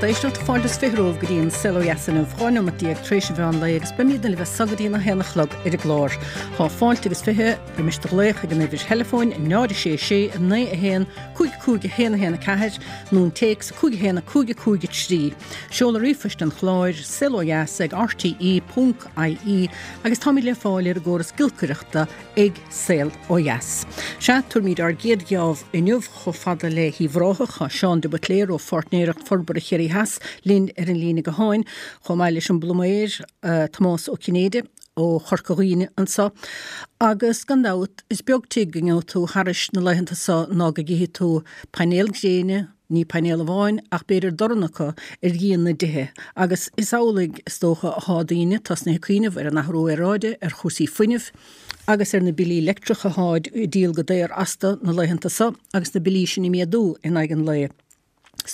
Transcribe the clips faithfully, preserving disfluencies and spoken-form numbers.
Lucht éisteachta, fáilte is fiche romhaibh go dtí an Saol Ó Dheas inniu, dhá neomat déag tar éis an mheán lae agus beimid libh as so go dtí a haon a chlog ar an gclár. Tá fáilte agus fiche roimis do ghlaoch ag an uimhir theileafóin náid a sé sé naoi a haon cúig cúig a haon a haon a ceathair nó an téacs cúig a haon a cúig a cúig a trí. Seoladh ríomhphoist an chláir saol ó dheas ag R T E ponc I E agus táimid le fáil ar an gcóras giolcaireachta ag Saol Ó Dheas. Sea, tabharfaimid ár gcéad gheábh inniu chomh fada le hUíbh Ráthach. Tá Seán de Buitléar ó Pháirtnéireacht Forbartha Chiarraí Theas linn ar an líne gutháin, chomh maith leis an bpluiméir uh, Tomás Ó Cinnéide ó Chorca Dhuibhne anseo. Agus gan dabht, is beag tigh go ngeobhaidh tú thairis na laethanta seo ná go gcífidh tú painéal gréine, ní painéal amháin ach b'fhéidir dorn acu ar dhíon na dtithe, agus is amhlaidh is dócha atá daoine tosnaithe ag cuimhneamh ar an athrú aeráide, ar chúrsaí fuinnimh agus ar na billí leictreacha atá ag díol go daor astu na laethanta seo agus na billí sin ag méadú in aghaidh an lae.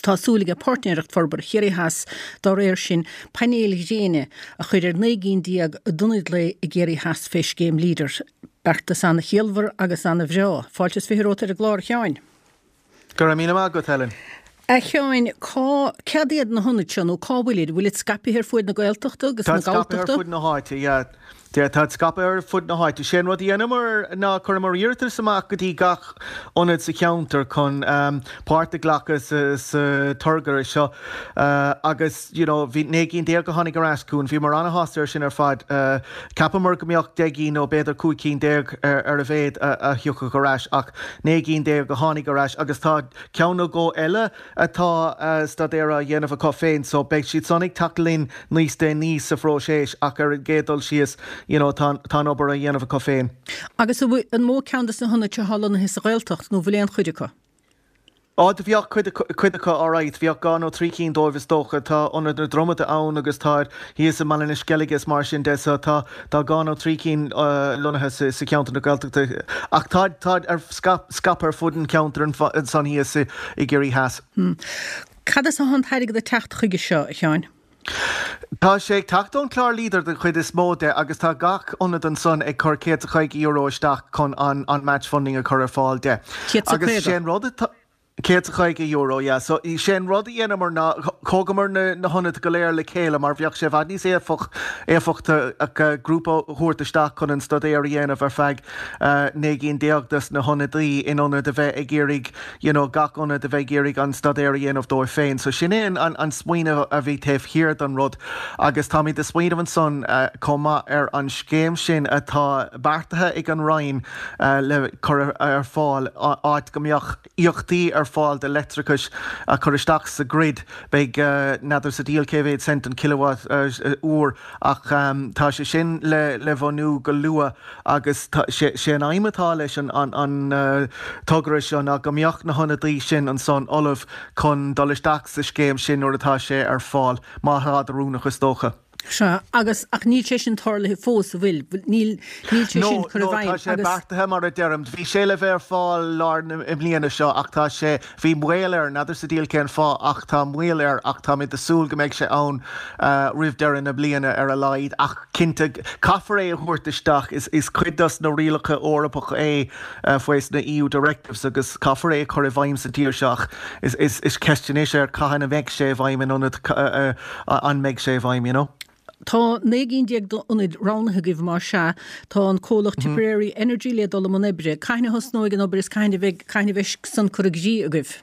Tá súil ag Páirtnéireacht Forbartha Chiarraí Theas dá réir sin painéil ghréine a chur ar naoi gcinn déag d'ionaid lae i gCiarraí Theas fé scéim Leader. Beartas an-chiallmhar agus an-bhreá. Fáilte is fiche romhat ar an gclár, a Sheáin. Go raibh míle maith agat, Helen. A Sheáin, cá cad iad na hionaid seo nó cá bhfuil bhfuil scaipthe ar fud na Gaeltachta agus na Galltachta? Fud na háite, yeah. Tá scaipthe ar fud na háite. Sé an rud a dhéanamar ná chuireamar iarratas amach go dtí gach ionad sa cheantar chun um, páirt a ghlacadh sa, sa togra seo uh, agus you know, bhí naoi gcinn déag a tháinig ar ais chugainn, bhíomar an-shásta ar sin ar fad uh, Cheapamar go mbeadh deich nó b'fhéidir cúig cinn déag ar, ar a mhéad a, a thiocfadh ar ais ach naoi gcinn déag a tháinig ar ais agus tá ceann nó dhó eile atá uh, staidéar á dhéanamh acu féin, so beidh siad san ag teacht linn níos déanaí sa phróiseas ach ar an gcéad dul síos you know, tá tá obair á dhéanamh acu féin. Agus an mó ceann des na hionaid atá lonnaithe sa Ghaeltacht nó bhfuil aon chuid acu? Á do bheadh cuid acu áráit, bheadh dhá nó trí cinn dóibh is dócha. Tá ionad na Dromada ann agus tá thíos i mBaile na Sceilge is mar sin de, so tá tá dhá nó trí cinn uh, lonnaithe sa, sa cheantar na Gaeltachta. Ach tá tá ar scaipthe ar fud an cheantar ansan thíos i gCiarraí Theas. Hmm. Cad as an t-airgead ag teacht chuige seo, a Sheáin? Tá sé ag teacht ón chlár Leader den chuid is mó de agus tá gach ionad ansan ag cur céad caoga euro isteach chun an, an match funding a chur ar fáil de. Agus sé an rud céad caoga euro, yeah. So sé an rud a dhéanamar ná thógamar na, na hionaid go léir le chéile mar bheadh sé i bhfad níos éifeach éifeachtaí grúpa a thabhairt isteach chun an staidéar a dhéanamh ar feadh uh, naoi gcinn déag des na hionadaí in ionad a bheith ag iarraidh you know, gach ionad a bheith ag iarraidh an staidéar a dhéanamh dóibh féin. So sin é an, an, an smaoineamh a bhí taobh thiar den rud agus táimid ag smaoineamh ansan uh, chomh maith ar an scéim sin atá beartaithe ag an Roinn uh, le cur ar fáil áit go mbeadh íocaíochtaí ar fáil de leictreachas a chur isteach sa grid. Beidh uh, n'fheadar sa diabhal cé mhéad cent an kilowatt uh, uair ach um, tá sé sin le le bhunú go luath agus sé, sé an aidhm atá leis an, an, an uh, togra seo ná go mbeadh na hionadaí sin ansan ullamh chun dul isteach sa scéim sin nuair atá sé ar fáil má tá oiriúnach is dócha. Sea, agus ach níl sé sin tarlaithe fós, an bhfuil níl níl sé sin chur i bhfeidhm sé beartaithe mar a deirim, bhí sé le bheith ar fáil lár na bliana seo ach tá sé bhí moill air, n'fheadar sa diabhal cén fáth ach tá moill air ach tá mé ag súil go mbeidh sé ann uh, roimh deireadh na bliana ar a laghad ach cinnte caithfear é a thabhairt isteach is, is cuid des na rialacha Eorpacha é uh, faoi na E U directives agus caithfear é chur i bhfeidhm sa tír seo is, is, is ceist anois é cathain a bheidh sé i bhfeidhm in ionad uh, uh, an mbeidh sé i bhfeidhm, you know. Tá naoi gcinn déag d'ionaid roghnaithe agaibh mar sea tá an comhlacht mm -hmm. Tipperary Energy le dul i mbun oibre. Cathain a thosnóidh an obair is cathain a bheidh cathain a bheidh san curtha i gcrích agaibh.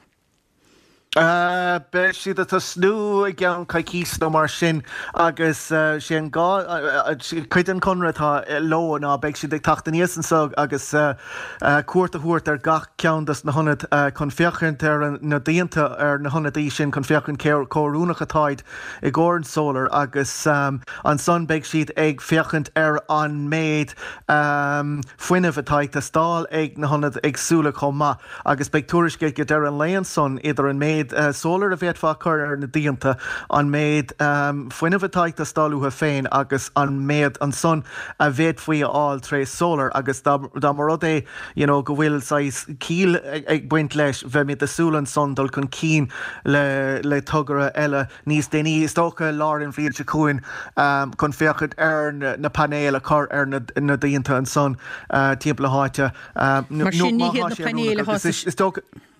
Uh, Beidh siad ag tosnú i gceann coicís nó mar sin agus uh, sé an gá uh, cuid den chonradh atá leo ná beidh siad ag teacht aníos anseo agus uh, uh, cuairt a thabhairt ar gach ceann des na hionaid uh, chun féachaint ar na díonta ar na hionadaí sin chun féachaint cé chomh hoiriúnach atáid i gcomhair an solar agus um, ansan beidh siad ag féachaint ar an méid um, fuinnimh atá ag teastáil ag na hionaid éagsúla chomh maith agus beidh tuairisc ag deireadh an lae ansan idir an méid uh, solar a bhféadfá cur ar na díonta an méid um, fuinnimh atá ag teastáil uathu féin agus an méid ansan a bhféadfaí a fháil tré solar agus dá mba rud é you know, go bhfuil saghas ciall ag, ag baint leis bheimid ag súil ansan dul chun cinn le, le togra eile níos déanaí is dócha lár an bhliain seo chugainn um, chun féachaint ar na, na painéil a chur ar na, na díonta ansan uh, timpeall na háite. Um, Mar sin ní hiad na painéil atá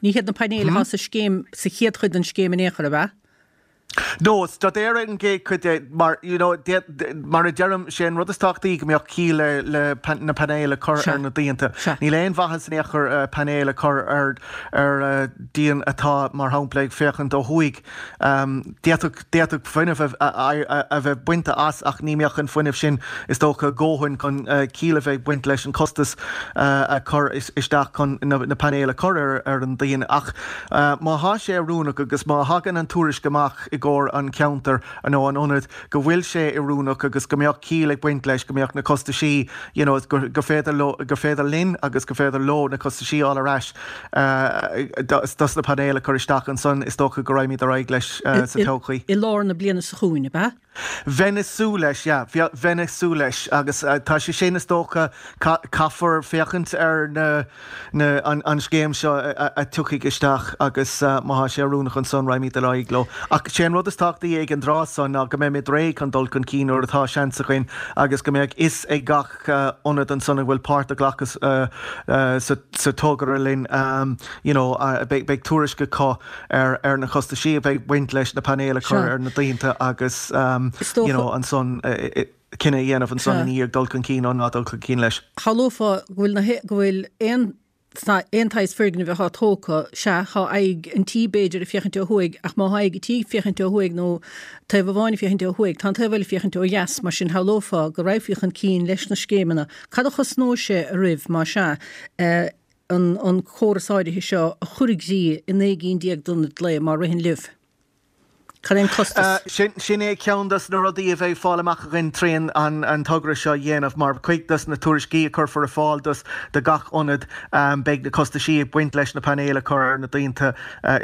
Ní hiad na painéil atá sa scéim sa chéad chuid den scéim in aon chor, ab ea? No, staidéar an gcéad chuid de mar you know, mar a deirim sé an rud is tábhachtaí go mbeadh ciall le, le pan, na painéil a chur ar na díonta. Níl aon mhaitheas in aon chor uh, painéil a chur ar ar uh, díon atá mar shampla ag féachaint ó thuaidh. Um, D'fhéadfadh fuinneamh a, a, a, a bheith bainte as ach ní mbeadh an fuinneamh sin is dócha dóthain chun uh, ciall a bheith baint leis an costas uh, a chur isteach chun na, na painéil a chur ar, ar an díon ach uh, má thá sé oiriúnach agus má thagann an tuairisc amach i gcomhair an ceantar nó an ionad go bhfuil sé oiriúnach agus go mbeadh ciall ag baint leis go mbeadh na costaisí you know, go, go féidir leo go féidir linn agus go féidir leo na costaisí a fháil ar ais uh, dos na painéil a chur isteach ansan is dócha go raghaimid ar aghaidh leis uh, sa todhchaí. I lár na bliana seo chugainn, ab ea? Bheinn ag súil leis, yeah, bheinn ag súil leis agus uh, tá sé sin is dócha caithfear féachaint ar na, na, an, an scéim seo a, a tiocfaidh isteach agus uh, má thá sé oiriúnach ansan raghaimid ar aghaidh leo. Ach sé an rud is tábhachtaí ag an dtráth seo ná go mbeimid réidh chun dul chun cinn nuair atá seans againn agus go mbeadh fhios ag gach uh, ionad ansan a bhfuil páirt a ghlacadh uh, uh, sa, sa togra linn um, you know, uh, beidh, beidh tuairisc acu ar, ar na costaisí a bheidh baint leis na painéil a chur ar na díonta agus um, you know, ansan uh, cinneadh a dhéanamh ansan ina dhiaidh dul chun cinn nó ná dul chun cinn leis. Shamhlófá go bhfuil na go bhfuil aon aon tsaghas foirgneamh atá tógtha, sea, tá aghaidh an tí b'fhéidir ag féachaint ó thuaidh, ach má thá aghaidh an tí ag féachaint ó thuaidh nó taobh amháin ag féachaint ó thuaidh, tá an taobh eile ag féachaint ó dheas, mar sin shamhlófá go raghfaí chun cinn leis na scéimeanna. Cad a chosnóidh sé oraibh, má sea, an an córas áirithe seo a chur i gcrích i naoi gcinn déag d'ionaid lae má ritheann libh? Cad é an costas? Sin é ceann dos na rudaí a bheidh fáil amach againn trín an an togra seo a dhéanamh mar cuid dos na tuairiscí a chuirfear ar fáil dos do gach ionad beidh na costaisí ag baint leis na painéil a chur ar na díonta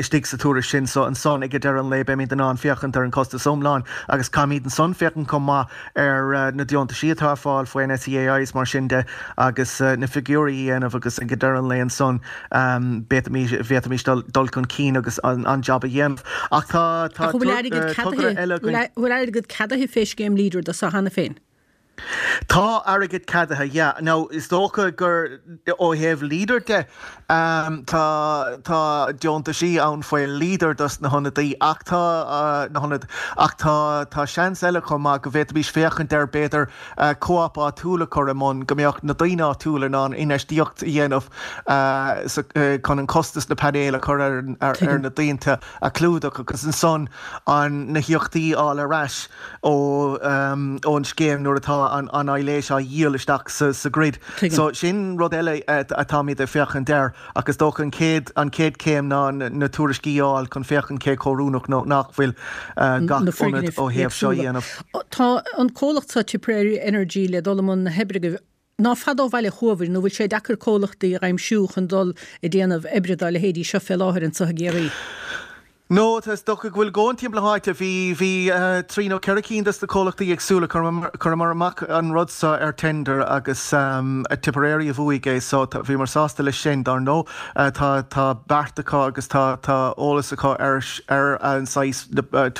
istigh sa tuairisc sin so ansan ag deireadh an lae beimid in ann féachaint ar an costas iomlán agus caithfimid ansan féachaint chomh maith ar na deontaisí atá ar fáil faoin SEAI is mar sin de agus na figiúirí a dhéanamh agus ag deireadh an lae ansan bhféadfaimis dul chun cinn agus an jab a dhéanamh. Ach tá Ach bhfuil airgead ceadaithe bhfuil airgead ceadaithe fé scéim Leader do seo cheana féin? Tá airgead ceadaithe, yeah. Now is dócha gur ó thaobh Leader de um, tá tá deontaisí ann faoi Leader dos na hionadaí ach tá uh, na hionaid ach tá tá seans eile chomh maith go bhféadfaimis féachaint ar b'fhéidir uh, co-op áitiúil a chur i mbun go mbeadh na daoine áitiúla in ann infheistíocht a dhéanamh uh, sa, uh, chun an costas na painéil a chur ar, ar, ar na díonta a chlúdach agus ansan an na híocaíochtaí a fháil ar ais ó um, ón scéim nuair atá an, an aibhléis á dhíol isteach sa, sa grid. Tuigim. So sin rud eile atáimid ag féachaint air ach is dócha an chéad an chéad chéim ná na, na tuairiscí a fháil chun féachaint cé chomh hoiriúnach nó nach bhfuil uh, gach na ionad foirgnimh ó thaobh seo a éagsúla. dhéanamh. Tá an comhlacht seo Tipperary Energy le dul i mbun na hoibre ná fada ó bhaile chugaibh nó bhfuil sé deacair comhlachtaí a aimsiú chun dul ag déanamh oibre dá leithéidí seo fé láthair anseo i gCiarraí. No, tá is dócha go bhfuil go timpeall na háite bhí bhí uh, trí nó ceithre cinn dos na comhlachtaí éagsúla chuireamar amach an rud seo ar tender agus um, a Tipperary a bhuaigh é so bhíomar sásta leis sin dar ndóigh uh, tá tá beart acu agus tá tá eolas acu ar ar an saghas uh,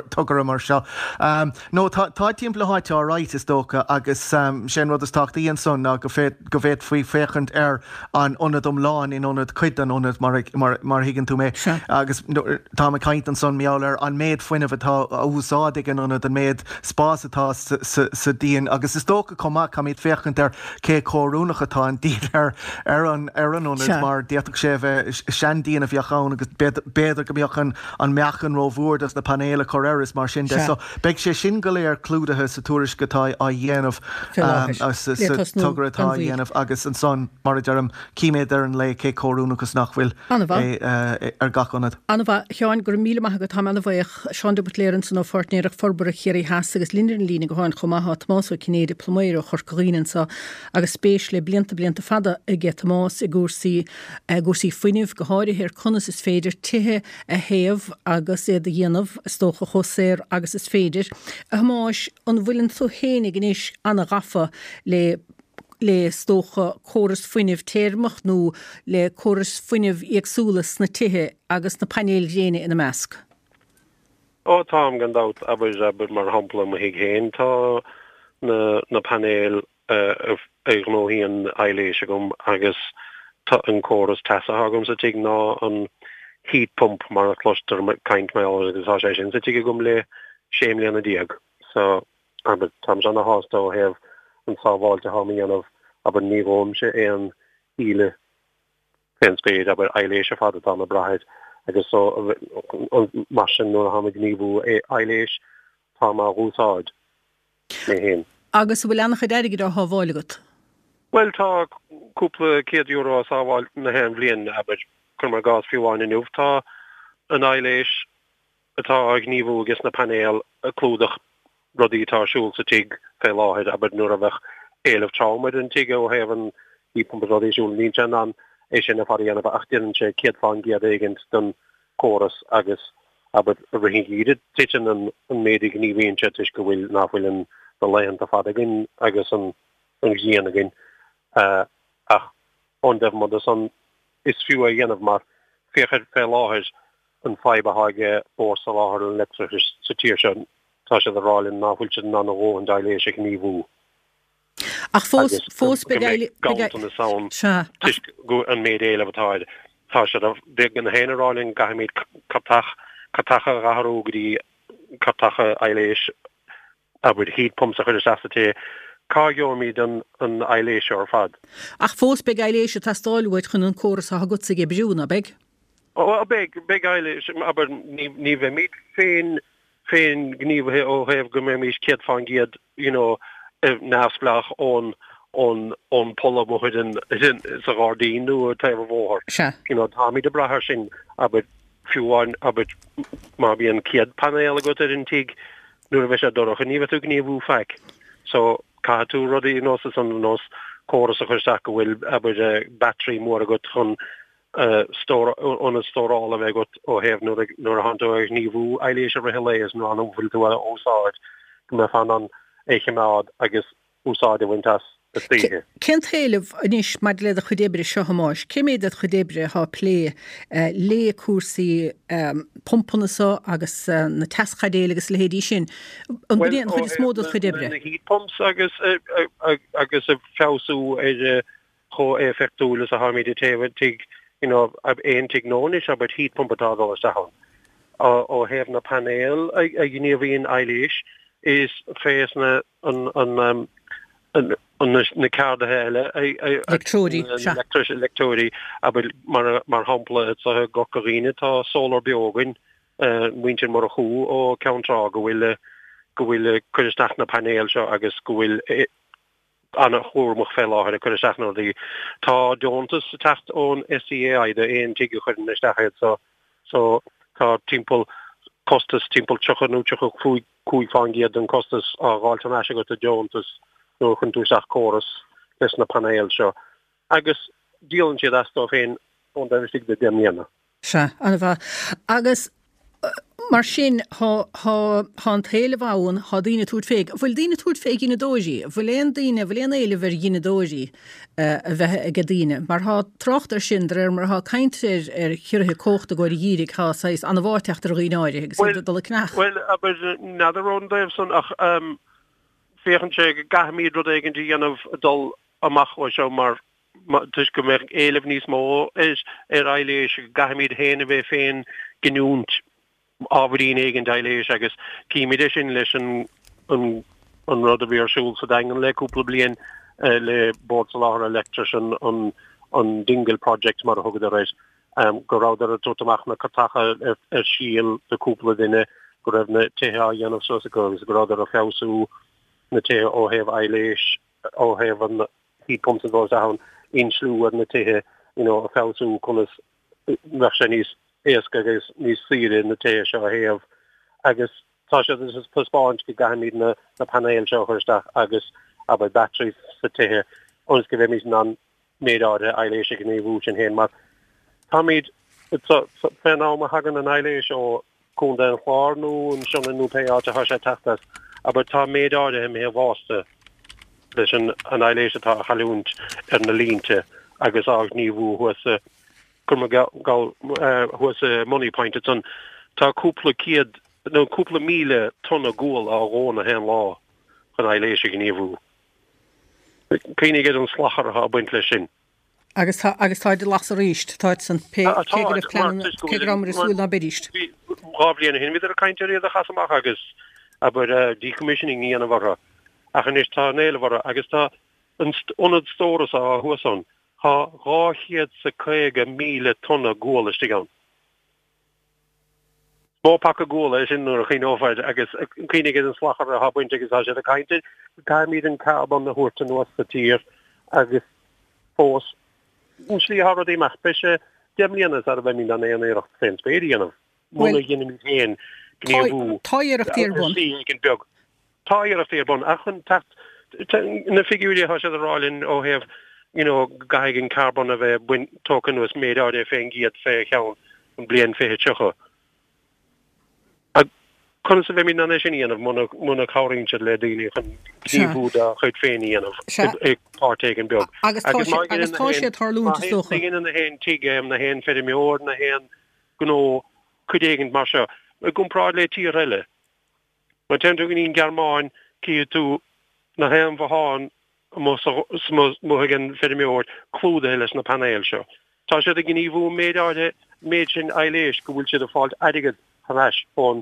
togra mar seo. Um, no tá tá timpeall na háite alright is dócha agus um, sin rud is tábhachtaí ansan ná go féad go bhféadfaí féachaint ar an ionad iomlán in ionad cuid den ionad mar, mar, mar thuigeann tú mé Sea. agus no, tá mé ag caint ansan mar gheall ar an méid fuinnimh atá á úsáid ag an ionad an méid spás atá sa, sa, sa díon agus is dócha chomh maith caithfimid féachaint ar cé chomh hoiriúnach atá an díon ar ar an ar an ionad Sea. mar d'fhéadfadh sé bheith seandíon a bheadh ann agus b'fhéidir go mbeadh an an meáchan rómhór dos na painéil a chur air is mar sin de. Sea. So beidh sé sin go léir clúdaithe sa tuairisc atá á dhéanamh Fé láthair. um, sa, Le sa tosnú togra atá gan á mhoill. dhéanamh agus ansan mar a deirim cífimid ar an lae cé chomh hoiriúnach agus nach bhfuil An-mhaith. é, uh, ar gach ionad. An-mhaith a Sheáin go raibh míle maith agat táim an-bhuíoch Seán de Buitléar ansan ó Pháirtnéireacht Forbartha Chiarraí Theas agus linn ar an líne gutháin chomh maith tá Tomás Ó Cinnéide pluiméir ó Chorca Dhuibhne anseo agus spéis le blianta blianta fada aige Tomás i gcúrsaí i gcúrsaí fuinnimh go háirithe ar conas is féidir tithe a théamh agus iad a dhéanamh is dócha chomh saor agus is féidir. A Thomáis an bhfuileann tú féinig anois an-ghafa le le is dócha córas fuinnimh teirmeach nó le córas fuinnimh éagsúla sna tithe agus na painéil ghréine ina measc. Ó táim gan dabht abair abair mar shampla mo thigh féin tá na na painéil uh, a ghnóthaíonn aibhléis agam agus tá an córas teasa agam sa tigh ná an heat pump mar a chloistear caint mar agus tá sé sin sa tigh agam le sé mbliana déag. So abair táim ana-shásta ó thaobh an sábháilt atá mé a dhéanamh abair ní dhóimse aon íle fén spéir abair aibhléis ar fad atá mé ag brath air agus so mar sin nuair atá mé ag gníomhú aibhléis tá mé á úsáid mé féin. Agus an bhfuil an-chuid airgid á shábháil agat? Bhuel tá cúpla céad euro á sábháil na haon bhliain abair cuirim i gcás fiú amháin inniu tá an aibhléis atá á gníomhú ages na painéil ag clúdach rudaí atá ar siúl sa tigh fé láthair, abair nuair a bheadh éileamh trom ar an tigh ó thaobh an heat pump is rudaí ar siúl, níl sé in ann é sin ar fad a dhéanamh ach déanann sé céad fán gcéad éigint den chóras agus abair i rith an gheimhridh titeann an an méid a ghníomhaíonn sé toisc go bhfuil nach bhfuil an na laethanta fada againn agus an an ghrian againn ach ón dtaobh amuigh de san is fiú é a dhéanamh mar féach ar fé láthair an fadhb atá ag Bord Soláthair an Leictreachais sa tír seo, tá siad ag rá linn ná fuil siad in ann a dhóthain d'aibhléis a ghníomhú. Ach fós, fós beidh aibhléis, ganntanas ann toisc go an méid éileamh atá air. Tá siad na féin ag rá linn gcaithfimid cairteacha a athrú go dtí cairteacha aibhléis abair heat pumps a chur isteach sa tigh, cá gheobhaimid an an aibhléis seo ar fad? Ach fós beidh aibhléis ag teastáil uait chun an córas atá agatsa ag oibriú, ná beidh? Ó beidh, beidh aibhléis, abair ní ní bheimid féin féin gníomhaithe ó thaobh go mbeimis céad fán gcéad you know neamhspleách ón ón ón poll amuigh ar an sa ghairdín nó ar taobh an bhóthair. Sea. You know táimid ag brath air sin, abair fiú amháin abair má bhíonn céad painéal agat ar an tigh nuair a bheidh sé dorcha ní bheidh tú ag gníomhú faic. So caithfidh tú rudaí ar nós san ar nós córas a chur isteach go bhfuil abair battery mór agat chun stór ionad stórála a bheith agat ó thaobh nuair a nuair a thánn tú ag gníomhú aibhléis i rith an lae is nuair nach bhfuil tú á úsáid go mbeifeá in ann é a choimeád agus úsáid a bhaint as istoíche. Cén t-éileamh anois maidir le do chuid oibre seo, a Thomáis? Cé méid de do chuid oibre atá ag plé le cúrsaí pumpanna so agus na teaschaidéil agus a leithéidí sin? An b'in é an chuid is mó de do chuid oibre? Na heat pumps agus agus ag feabhsú ar chomh éifeachtúil is atáimid ag téamh an tigh, you know, aon tigh nua anois abair heat pump atá ag dul isteach ann. Ó thaobh na painéil a ghníomhaíonn aibhléis, is fés na an an an na ceardaithe eile Leictreoirí, sea. Leictreoirí, abair mar mar shampla i gCorca Dhuibhne tá Solar Beo againn, muintir Murchú ó Ceann Trá go bhfuil go bhfuil ag cur isteach na painéil seo agus go bhfuil an-chúramach fé láthair ag cur isteach na rudaí. Tá deontas ag teacht ón SEAI do aon tigh a chuireann isteach iad so so tá timpeall costas timpeall tríocha nó tríocha cúig cúig fán gcéad den costas á dh'fháilt thar n-ais agat i deontas nuair a chuireann tú isteach córas leis na painéil seo agus díolann siad as dóibh féin ón taobh istigh de deich mbliana. Sea, an-mhaith. Agus mar sin, thá, thá, thá an t-éileamh ann, thá daoine ag tabhairt fé. An bhfuil daoine ag tabhairt fé ghineadóirí? An bhfuil aon daoine, an bhfuil aon éileamh ar ghineadóirí a bheith aige daoine? Mar thá trácht air sin, de réir mar athá caint ar, ar chiorruithe cumhachta i gcomhair an gheimhridh, thá saghas anbhá ag teacht ar dhaoine áirithe agus iad ag dul ag ceannach. Bhuel, abair, n'fheadar ón dtaobh san ach féachann sé go gcaithfimid rud éigin a dhéanamh ag dul amach ó seo mar toisc go mbeidh éileamh níos mó ar ar aibhléis, go gcaithfimid féin a bheith féin giniúint ábhairín éigin d'aibhléis agus címid é sin leis an an an rud a bhí ar siúl sa Daingean le cúpla bliain le Bord Soláthair Leictris an an an Dingle Project mar a thugadar air go rabhadar ag tabhairt amach na cairteacha ar ar síol do cúpla duine go raibh na tithe á dhéanamh suas acu agus go rabhadar ag feabhsú na tithe ó thaobh aibhléis ó thaobh an heat pumps ag dul isteach ann, insliú ar na tithe, you know, a feabhsú conas bheadh sé níos éasca agus níos saoire na tithe seo a théamh agus tá siad ag taispeáint go gcaithfimid na na painéil seo a chur isteach agus abair batteries sa tithe ionas go mbeimid in ann méid áirithe aibhléis a ghníomhú sinn féin mar táimid fén am a thagann an aibhléis ó Contae an Chláir nó an Sionainn nó pé áit atá sé ag teacht as, abair tá méid áirithe imithe bhásta leis an an aibhléis atá á chailliúint ar na línte agus á gníomhú thuas sa thuas i Moneypoint ansan tá cúpla céad nó cúpla míle tonna gual á dhó na haon lá chun aibhléis a ghníomhú. Cuimhnigh ar an salachar atá ag baint leis sin. Agus tá agus táid ag lasadh arís, táid san pé cé go raibh pleananna, cé go rabhamar ag súil ná beidíst. Dhá bhliain ó shin bhíodar ag caint ar iad a chasadh amach agus abair decommissioning a dhéanamh orthu ach anois tá an éileamh orthu agus tá an ionad stórais atá thuas ann, tá dhá chéad 's a caoga míle tonna gual istigh ann. Is mó paca guala é sin nuair a chuimhneofar agus cuimhnigh ar an salachar atá bainte agus tá siad ag caint ar caithfimid an carbón a thabhairt anuas sa tír agus fós an slí atá rudaí amach beidh sé deich mbliana sara mbeimid in ann aon iarracht fén spéir a dhéanamh muna dheinimid féin gníomhú Tá iarrachtaí ar bun. ar shlí éigin beag. Tá iarrachtaí ar bun ach chun teacht na figiúirí atá siad a rá linn ó thaobh you know go gcaithfidh an carbón a bheith bain tógtha anuas méid áirithe fén gcéad fé cheann an bliain fiche tríocha. Conas a bheimid in ann é sin a dhéanamh muna muna cabhraíonn siad le daoine chun gníomhú dá chuid féin a dhéanamh i páirt éigin beag. Agus tá sé agus tá sé ag tarlúint is dócha. Má dhéanann na haon tigh, na haon feirmeoir, na haon gnó cuid éigin mar seo, i gcomparáid le tíortha eile. Má téann tú go dtí an Ghearmáin, cífidh tú na haon bhothán amuigh ag an feirmeoir clúdaithe leis na painéil seo. Tá siad ag gníomhú an méid áirithe, méid sin aibhléis go bhfuil siad ag fáilt airgead thar n-ais ón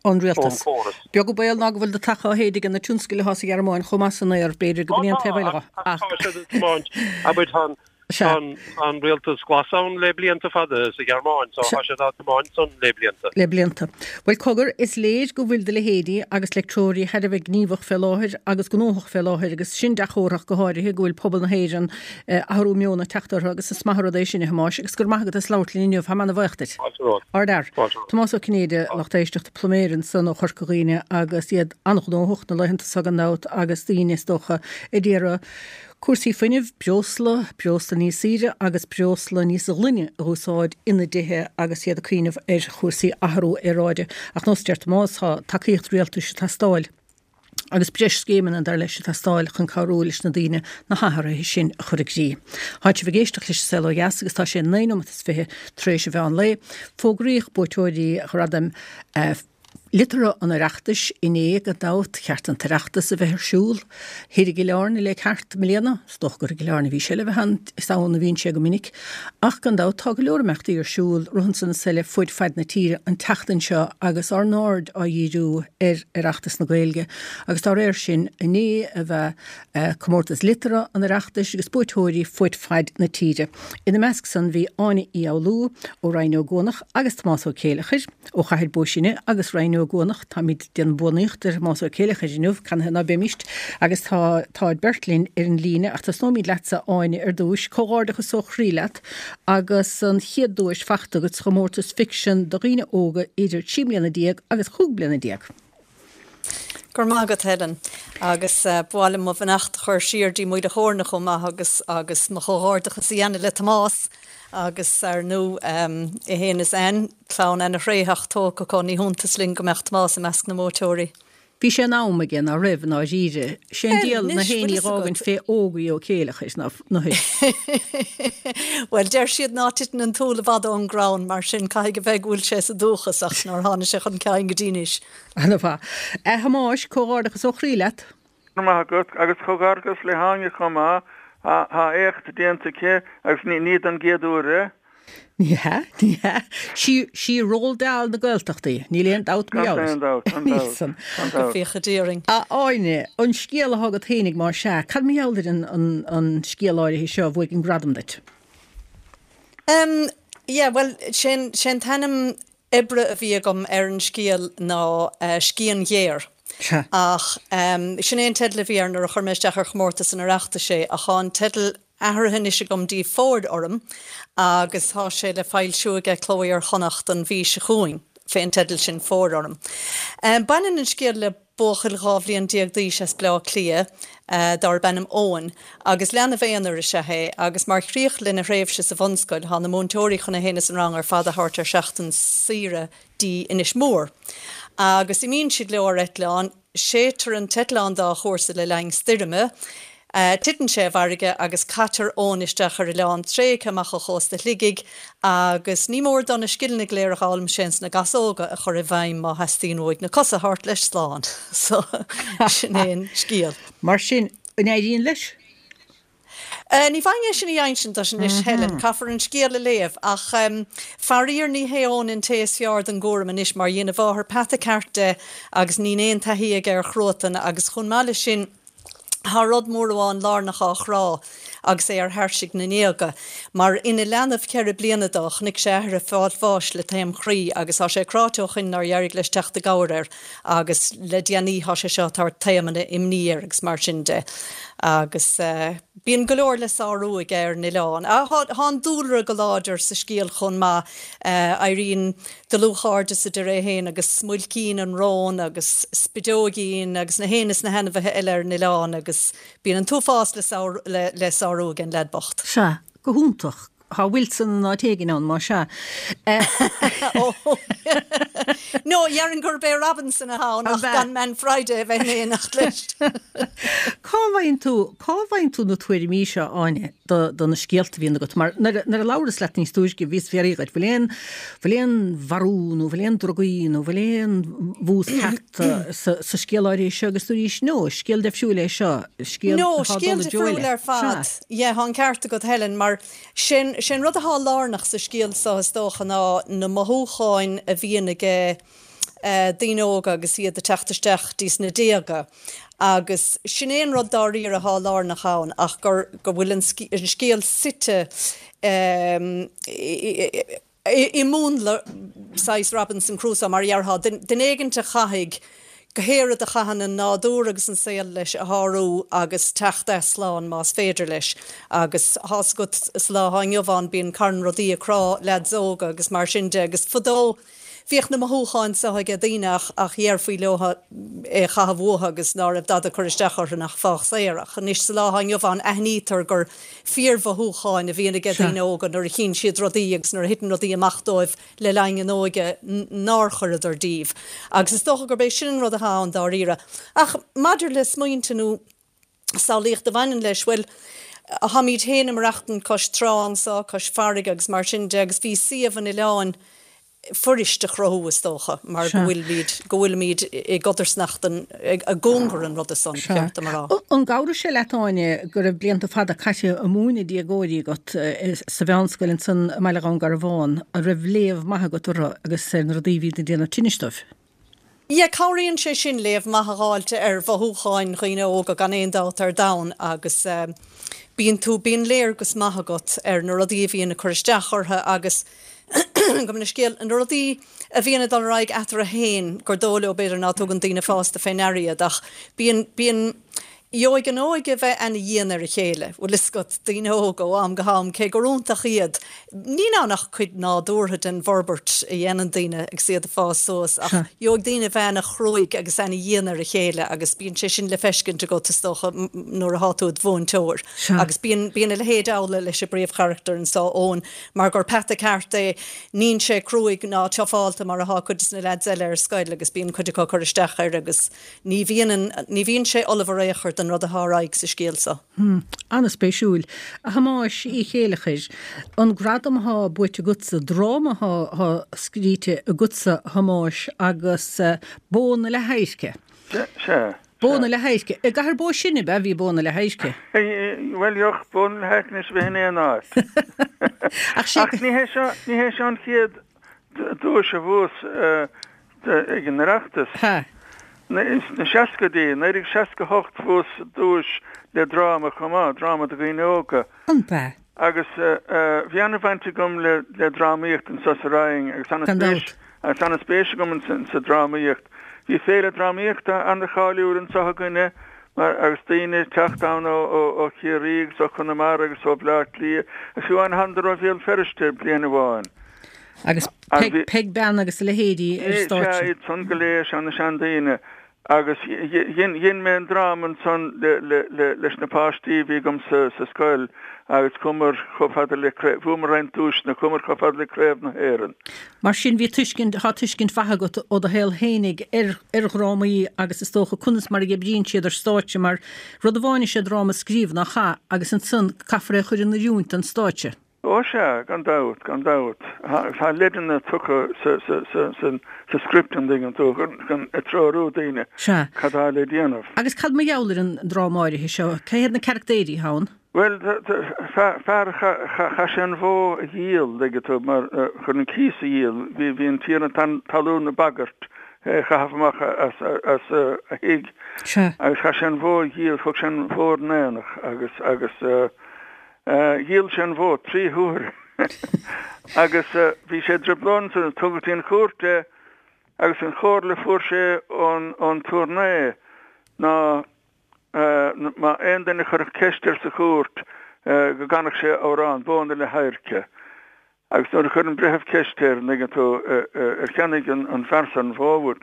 ón rialtas. córas. Beag an baol ná go bhfuil do taca á shéideadh ag na tionscail atá sa Ghearmáin chomh maith san aer, b'fhéidir go b'in é an taobh eile dhe. Ach tá siad ag tiomáint, abair, tá an Tá an rialtas glas ann le blianta fada sa Ghearmáin, so tá siad á tiomáint san le blianta. Le blianta. Bhuel, cogar, is léir go bhfuil do leithéidí agus leictreoirí thar a bheith gníomhach fé láthair agus gnóthach fé láthair agus sin dea-chomhartha go háirithe go bhfuil pobal na hÉireann athrú meoin ag teacht orthu agus is maith an rud é sin, a Thomáis, agus go raibh maith agat as labhairt linn inniu. Táim ana-bhuíoch duit. Fáilte romhat. Ardfhear. Fáilte romhat. Tomás Ó Cinnéide, lucht éisteachta, pluiméir ansan ó Chorca Dhuibhne agus iad an-ghnóthach na laethanta so gan dabht agus daoine is dócha a d'iarraidh Cúrsaí fuinnimh, breosla, breosla níos saoire agus breosla níos glaine a úsáid ina dtithe agus iad ag cuimhneamh ar chúrsaí athrú aeráide. Ach nós a deir Tomás, tá tacaíocht rialtais ag teastáil agus breis scéimeanna, dar leis, ag teastáil chun cabhrú leis na daoine na hathruithe sin a chur i gcrích. Tá sibh ag éisteacht leis an Saol Ó Dheas agus tá sé naoi nóiméad is fiche tar éis an mheán lae. Fógraíodh buaiteoirí Ghradaim Liteartha an Oireachtais inné, gan dabht, cheart an tOireachtas a bheith ar siúl thoir i gCill Airne le ceart i mbliana. Is dócha gur i gCill Airne a bhí sé le bheith ann, is ann a bhíonn sé go minic. Ach gan dabht tá go leor imeachtaí ar siúl rith ansan is eile fuaid faid na tíre an tseachtain seo agus ár n-aird á dhíriú ar Oireachtas na Gaeilge agus dá réir sin inné a bhí Comórtas Liteartha an Oireachtais agus buaiteoirí fuaid faid na tíre. Ina measc san bhí Áine Uí Fhoghlú ó Rinn Ó gCuanach agus Tomás Ó Céileachair ó Chathair Bó Sine agus Rinn Ó gCuanach, táimid ag déanamh buannaíocht ar Thomás Ó Céileachair inniu, canathaobh ná beimíst, agus tá táid beirt linn ar an líne, ach tosnóimid leatsa Áine ar dtúis. Comhghairdeachas ó chroí leat agus an chéad duais fachta agat sa chomórtas ficsean do dhaoine óga idir trí bliana déag agus chúig bliana déag. Go raibh maith agat Helen. Agus ba mhaith liom mo bheannacht a chur siar dtí Maoil a' Chóirne chomh maith agus agus mo chomhghairdeachas a dhéanamh le Tomás agus ar ndú é fhéin is Anne, clann ana-thréitheach tógtha acu, ní hiontas linn go mbeadh Tomás i measc na mbuaiteoirí. Bhí sé in am aige, ná raibh, i ndáiríre. Sé an diabhal na héinní a dh'fhágaint fé Ógie Ó Céileachair ná na Bhuel, deir siad ná titeann an t-úll i bhfad ón gcrann, mar sin caithfidh a bheith go bhfuil sé sa dúchas ach nár tháinig sé chun cinn go dtí anois. Ana-mhaith. A Thomáis, comhghairdeachas ó chroí leat. Go raibh maith agat, agus comhghairdeachas le hÁine chomh maith. Tá éacht déanta aici agus ní don gcéad uair é. Ní hea, ní hea. Sí, sí Roald Dahl na Gaeltachta í, níl aon dabht mar gheall air. Gan aon dabht, gan Níl dabht, san. gan Go dabht. bhféacha Dia orainn. A Áine, an scéal atá agat fhéinig más ea, cad mar gheall ar an, an, an scéal áirithe seo a bhuaigh an gradam duit? Em, yeah, bhuel, sé'n, sé'n t-ainm oibre a bhí agam ar an scéal ná Scian Ghéar. Sea. Ach sin é an teideal a bhí air nuair a chuir mé isteach ar chomórtas an Oireachtais é, ach tá an teideal athraithe anois agam dtí Fóir Orm agus tá sé le foilsiú aige Cló Iar-Chonnacht an mhí seo chugainn fén teideal sin, Fóir Orm. Baineann an scéal le buachaill dhá bhliain déag d'aois as Bleá Cliath darb ainm Eoin agus leanbh aonair is ea é agus mar chríoch lena thréimhse sa bhunscoil tá na múinteoirí chun é fhéin is an rang ar fad a thabhairt ar sheachtain saoire dtí Inis Mór agus imíonn siad leo ar eitleán. Séidtear an t-eitleán dá chúrsa le linn stoirme. Titeann sé i bhfarraige agus caitear Eoin isteach ar oileán tréigthe amach ó chósta Shligigh agus ní mór dó na scileanna go léir a dh'fhoghlaim sé ins na Gasóga a chur i bhfeidhm má theastaíonn uaidh na cosa a thabhairt leis slán. So, sin é an scéal. Mar sin, an éiríonn leis? Ní bhfaighinn é sin a insint duit anois Helen, caithfear an scéal a léamh, ach faraor ní hé Eoin an té is fearr don gcúram anois mar dhein a mháthair peata ceart de agus níl aon taithí aige ar chruatan agus chomh maith leis sin Tá rud mór amháin lárnach á chrá agus é ar thairsigh na ndéaga, mar ina leanbh ceithre bliana dó, chonaic sé a athair ag fáil bháis le taom chroí agus tá sé cráite ó shoin nár éirigh leis teacht i gcabhair air agus le déanaí tá sé seo ag tabhairt taomanna imní air agus mar sin de. Agus bíonn go leor le sárú aige ar an oileán. Tá an dúlra go láidir sa scéal chomh maith, éiríonn dlúthchairde sa deireadh é féin agus Smuilcín an rón agus Spideoigín agus na héin is na hainmhithe eile ar an oileán agus bíonn an t-uafás le le sárú ag an leaid bocht. Sea, go hiontach. Tá Wilson in áit éigin ann, más ea. No, dhéarfainn gurb é Robinson atá ann ach gan Man Friday a bheith in éineacht leis. Cá bhfaigheann tú, cá bhfaigheann tú na tuairimí seo, Áine, do do na scéalta a bhíonn agat? Mar nuair a labhras leat níos túisce bhíos ag fiafraí dhíot, bhfuil aon, bhfuil aon mharú nó bhfuil aon drugaí nó bhfuil aon bhús cearta sa sa scéal áirithe seo agus dúraís, no, scéal deifriúil é seo, scéal No, scéal difriúil ar fad. Yeah, tá an ceart agat Helen, mar sin sin rud atá lárnach sa scéal seo is dócha ná na mothúcháin a bhíonn aige daoine óga agus iad ag teacht isteach dtí na déaga. Agus sin é an rud dáiríre atá lárnach ann ach gur go bhfuil an scéal suite i múnla saghas Robinson Crusoe mar a dhéarfá, duine éigint a chaithfidh go pé rud a chaitheann an nádúr agus an saol leis a shárú agus teacht as slán más féidir leis. Agus tá's agat sa lá atá inniu ann bíonn carn rudaí ag crá leaids óga agus mar sin de agus fadó bhíodh na mothúcháin seo aige daoine ach ach dhéarfaí leo é a chaitheamh uathu agus ná raibh dada ag cur isteach orthu nach fág saor. Ach anois sa lá atá inniu ann aithnítear gur fíormhothúcháin a bhíonn aige daoine óga nuair a chíonn siad rudaí agus nuair a thiteann rudaí amach dóibh le linn a n-óige nár chuireadar díobh. Agus is dócha gurb é sin an rud atá ann dáiríre. Ach maidir le smaointe nó samhlaíocht a bhaineann leis, bhuel, táimid féin ag maireachtaint cois trá anso, cois farraige agus mar sin de agus bhí suíomh an oileáin fuirist a chruthú, is dócha, mar go bhfuilimid, go bhfuilimid i gcodarsnacht an, i gcóngar an ruda san, ba cheart dom a rá. An gcabhraigh sé leat, Áine, go raibh blianta fada caite ag múineadh déagóirí agat sa mheánscoil ansan i mBaile Dhún Garbhán, an raibh léamh maith agat orthu agus ar na rudaí a bhí ag déanamh tinnis dóibh? Yeah, cabhraíonn sé sin léamh maith a dh'fháilt ar mhothúcháin dhaoine óga gan aon dabht ar domhan agus bíonn tú, bíonn léargas maith agat ar na rudaí a bhíonn ag cur isteach orthu agus gabh mo leithscéal, na rudaí a bhíonn ag dul ar aghaidh eatarthu féin gur dóigh leo b'fhéidir ná tugann daoine fásta fé ndeara iad ach bíonn, bíonn, Gheobhaidh an óige bheith ana-dhian ar a chéile, bhfuil fhios agat, daoine óga ó am go ham, cé gur iontach iad. Níl ann ach cuid nádúrtha den bhforbairt a dhéanann daoine agus iad ag fás suas, ach gheobhaidh daoine bheith ana-chruaidh agus ana-dhian ar a chéile agus bíonn sé sin le feiscint agat, is dócha, nuair athá tú id mhúinteoir. Agus bíonn, bíonn a leithéid amhlaidh leis an bpríomhcharachtar anso, Eoin, mar gur peata ceart é, níl sé cruaidh ná tiofálta mar athá cuid de na leaids eile ar scoil agus bíonn cuid acu ag cur isteach air agus Ní bhíonn an, ní bhíonn sé ullamh ar aon chor don rud atá ar aghaidh sa scéal seo. Hm. An-spéisiúil. A Thomáis Uí Chéileachair, an gradam athá buaite agatsa, dráma athá scríte agatsa, a Thomáis, agus Bó na Leath-Adhairce. Sea. Bó na Leath-Adhairce. I gCathair Bó Sine, ab ea, bhí Bó na Leath-Adhairce? Bhuel, bheadh Bó na Leath-Adhairce anois a bheith in aon áit. Ach sé. Ach ní hé seo, ní hé seo an chéad duais a bhuas ag an Oireachtas. Sna seascaidí, naoi déag seasca a hocht, bhuas duais le dráma chomh maith, dráma do dhaoine óga. An b'ea? Agus bhí an-bhaint agam le le drámaíocht anso sa Rinn agus an-spéis agus an-spéis agam sa drámaíocht. Bhí féile drámaíochta an-cháiliúil anso againne mar agus daoine ag teacht ann ó ó Chiarraí agus ó Chonamara agus ó Bhleá Cliath agus fiú amháin thánadar ó Bhéal Feirste bliain amháin. Agus Peig Bean agus a leithéidí ar stáitse. Sea, iad san go léir, sea, na seandaoine. Agus dhein mé an dráma ansan leis na páistí a bhí agam sa scoil agus chuamar chomh fada le, bhuamar roinnt duaiseanna, chuamar chomh fada le Craobh na hÉireann. Mar sin bhí tuiscint, tá tuiscint mhaith agat ó do shaol fhéinig ar ar dhrámaí agus is dócha conas mar a oibríonn siad ar stáitse mar rud amháin is ea dráma a scríobh nach ea agus ansan caithfear é a chur in oiriúint don stáitse. Ó sea, gan dabht, gan dabht. Tá leideanna tugtha sa script an dtuigeann tú, chun treorú daoine cad tá le déanamh. Agus cad mar gheall ar an dráma áirithe seo? Cé hiad na carachtéirí atá ann? Bhuel, fear, chaith sé an bhó a dhíol, dtuigeann tú, mar chun an cíos a dhíol. Bhí an tiarna talún ag bagairt é a chaitheamh amach as a thigh agus chaith sé an bhó a dhíol, thug sé an bhó ar an aonach agus agus dhíol sé an bhó trí huaire agus bhí sé i dtrioblóid ansan, tugadh go dtí an chúirt é agus an chomhairle a fuair sé ón ón aturnae ná má aon duine a chuirfeadh ceist air sa chúirt go gcanfadh sé amhrán, Bó na Leath-Adhairce. Agus nuair a chuir an breitheamh ceist air, an dtuigeann tú, ar cheannaigh an fear san an bhó uait,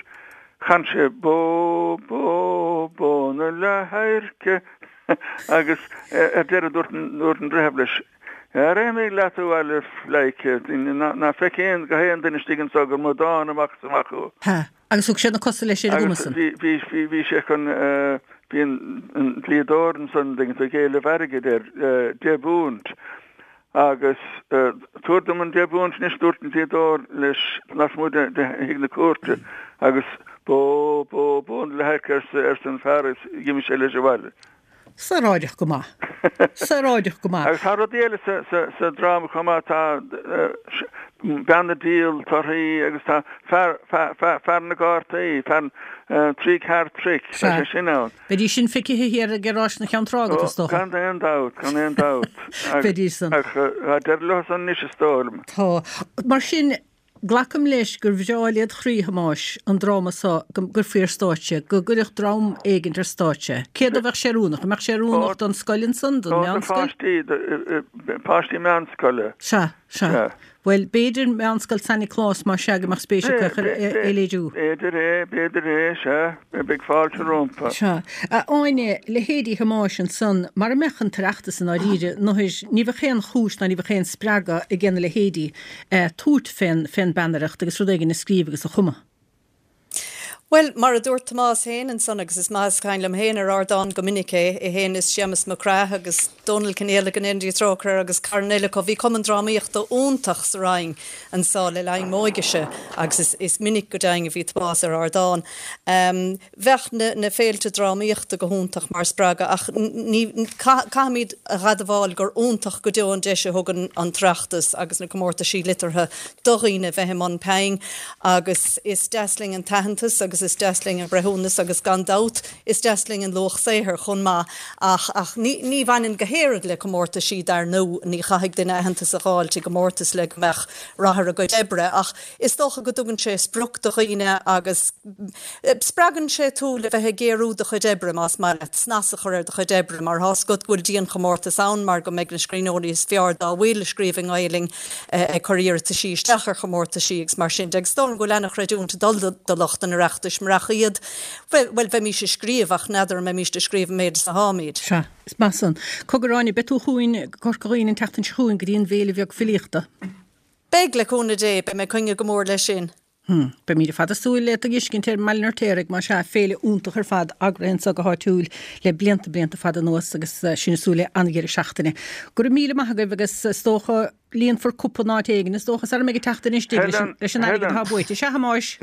chan sé Bó, bó, bó na leath-adhairce agus ar deireadh dúirt an breitheamh leis, Ara imigh leat abhaile a phleidhce, ná feic aon go haon duine istigh anso gur amadán amach is amach thú. Ha, agus thug sé na cosa leis ar an gcuma san. Agus bhí, bhí, bhí sé chun, bhí an dlíodóir ansan, an dtuigeann tú, ag éileamh airgid air, deich bpunt. Agus tabhair dom an deich bpunt anois, dúirt an dlíodóir leis lasmuigh de thigh na cúirte, agus bó, bó, bó na leath-adhairce, arsa an fear agus d'imigh sé leis abhaile. Saoráideach go maith. Saoráideach go maith. Agus tá rudaí eile sa dráma chomh maith, tá bean ag díol torthaí agus tá fear, fear, fear na gcártaí, fear trí card trick, tá sé sin ann. Bheidís sin feicthe thiar ag Ráis na Ceann Trá agat, is dócha. Gan aon dabht, gan aon dabht. Bheidís san. Ach tá deireadh leo san anois, is dóigh liom. Tá. Mar sin, glacaim leis gur bhreá led chroí, a Thomáis, an dráma so, go gcuirfí ar stáitse, go gcuirfeadh dream éigint ar stáitse. Cé dó bheadh sé oiriúnach? An mbeadh sé oiriúnach don scoil ansan, don mheánscoil? Do pháistí, páistí meánscoile. Sea, sea. Bhuel, b'fhéidir Meánscoil San Nioclás más ea go mbeadh spéis acu é a léiriú. B'fhéidir é, b'fhéidir é, sea. Beidh fáilte rompu. Sea. A Áine, leithéidí Thomáis ansan, mara mbeadh an tOireachtas i ndáiríre, n'fheadar, ní bheadh aon chúis ná ní bheadh aon spreagadh ag na leithéidí tabhairt fén bpeannaireacht agus rud éigin a scríobh agus a chumadh. Bhuel, mar a dúirt Tomás féin ansan, agus is maith is cain liom féin ar ardán go minic é, é féin is Séamus Mac Craith agus Dónal Conghaile go ndéana Dia trócaire air agus carn eile acu, bhí cumann drámaíochta iontach sa Rinn anso le linn m'óigese agus is, is minic go deimhin a bhí Tomás ar ardán. Um, bheadh na, na féilte drámaíochta go hiontach mar spreagadh ach ní, caithfimid a admháil gur iontach go deo an deis a thugann an tOireachtas agus na comórtaisí liteartha do dhaoine bheith i mbun pinn agus is deas linn an t-aitheantas agus is deas linn an breithiúnas agus gan dabht is deas linn an luach saothair chomh maith ach ach ní ní bhaineann go háirid le comórtaisí dar ndóigh ní chaithfidh duine aitheantas a fháilt i gcomórtas le go mbeadh rath ar a gcuid oibre ach is dócha go dtugann sé sprioc do dhaoine agus spreagann sé tú le bheith ag géarú do chuid oibre más maith leat snas a chur ar do chuid oibre mar tá's agat go bhfuil dianchomórtas ann mar go mbeidh na scríbhneoirí is fearr dá bhfuil ag scríobh i nGaelainn ag cur iarrataisí isteach ar chomórtaisí agus mar sin de agus is dóigh liom go bhfuil ana-chreidiúint ag dul do lucht an Oireachtais murach iad, bhuel, bheimís ag scríobh ach n'fheadar an mbeimís ag scríobh an méid is atáimid. Sea, is maith san. Cogar Áine, beidh tú chugainn go Corca Dhuibhne an tseachtain seo chugainn go dtí an bhFéile Bheag Filíochta. Beidh, le cúnamh Dé, beidh mé ag coinne go mór leis sin. Hm, beimid ar fad ag súil le tú a fheiscint ar an mBaile an Fheirtéaraigh, más ea, féile iontach ar fad, eagraithe anso go háitiúil le blianta, blianta fada anuas agus sinn ag súil le an-dheireadh seachtaine. Go raibh míle maith agaibh agus is dócha líonfar cupa in áit éigin, is dócha, sara mbeidh an tseachtain istigh leis an, leis an airgead atá buaite. Sea, a Thomáis?